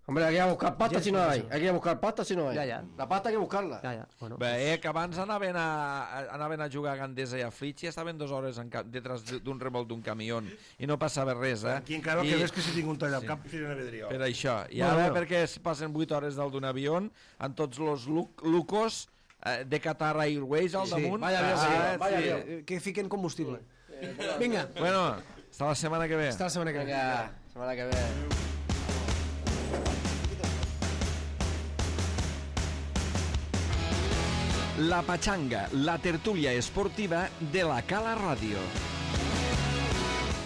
Hombre, hay que buscar pasta Ya si no es hay. profesional. Hay que buscar pasta si no hay. Ya, ya. La pasta hay que buscarla. Ja, ja, bueno. Bé, eh, que abans anaven a, anaven a jugar a Gandesa i a Flix i estaven dues hores en cap, detrás d'un remolt d'un camió i no passava res, eh? Aquí encara el I, que ves que si tinc un tall al cap, si no vedria. per això. I Bueno, ara bueno. perquè es passen vuit hores dalt d'un avió amb tots els luc, lucos eh, de Qatar Airways al Sí, damunt. vaya avión, Ah, sí, vaya sí. avión. Eh, Que fiquen combustible. Vinga, Bueno, hasta la setmana que ve. hasta la setmana que ve. Venga, semana que viene. La Pachanga, la tertúlia esportiva de la Cala Ràdio.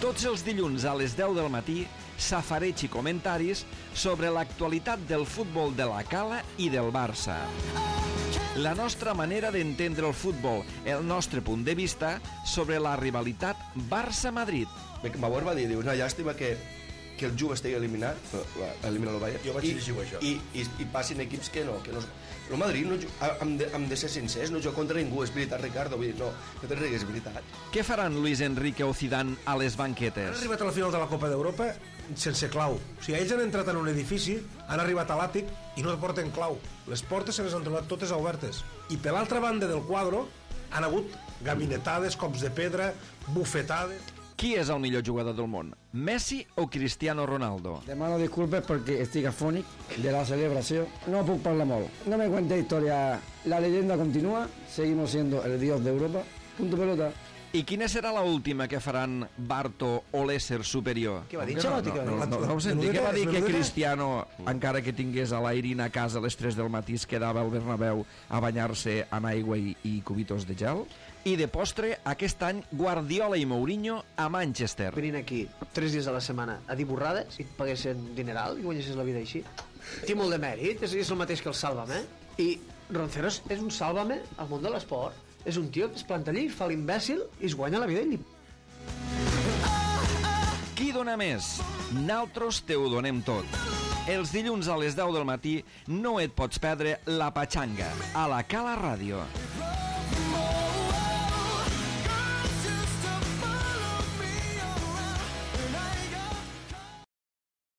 Tots els dilluns a les deu del matí, safareig i comentaris sobre l'actualitat del futbol de la Cala i del Barça. La nostra manera d'entendre el futbol, el nostre punt de vista sobre la rivalitat Barça-Madrid. Bauer va dir, diu, una llàstima que, que el Juve estigui eliminat, elimina el Bayern, Jo vaig i, llegir això. i, i, i passin equips que no, que no... El Madrid, no, ju- hem, de, hem de ser sincers, no juga contra ningú, és veritat, Ricardo, vull dir, no, no te rigues, és veritat. Què faran Luis Enrique o Zidane a les Han banquetes? arribat a la final de la Copa d'Europa sense clau. O sigui, ells han entrat en un edifici, han arribat a l'àtic i no porten clau. Les portes se les han trobat totes obertes. I per l'altra banda del quadre han hagut Gabinetades, cops de pedra, bufetades... Qui és el millor jugador del món? Messi o Cristiano Ronaldo? Demano disculpes perquè estic afònic de la celebració. No puc parlar molt. No me cuente historia. La leyenda continúa. Seguimos siendo el dios de Europa. Punto pelota. I quina serà l'última que faran Barto o l'ésser superior? Què va dir, No, Xalotti? no, no, no, no, no ho senti, què va dir que Cristiano, encara que tingués a l'Airin a casa a les tres del matí, es quedava al Bernabéu a banyar-se en aigua i, i cubitos de gel? I de postre, aquest any, Guardiola i Mourinho a Manchester. Venint aquí tres dies a la setmana a dir borrades i et paguessin dineral i guanyessis la vida així. Té molt de mèrit, és, és el mateix que el Sálvame. I Ronceros és un Sálvame al món de l'esport. És un tio que es planta allí, fa l'imbècil i es guanya la vida i li... Qui dona més? Naltros te ho donem tot. Els dilluns a les deu del matí no et pots perdre la Patxanga a la Cala Ràdio.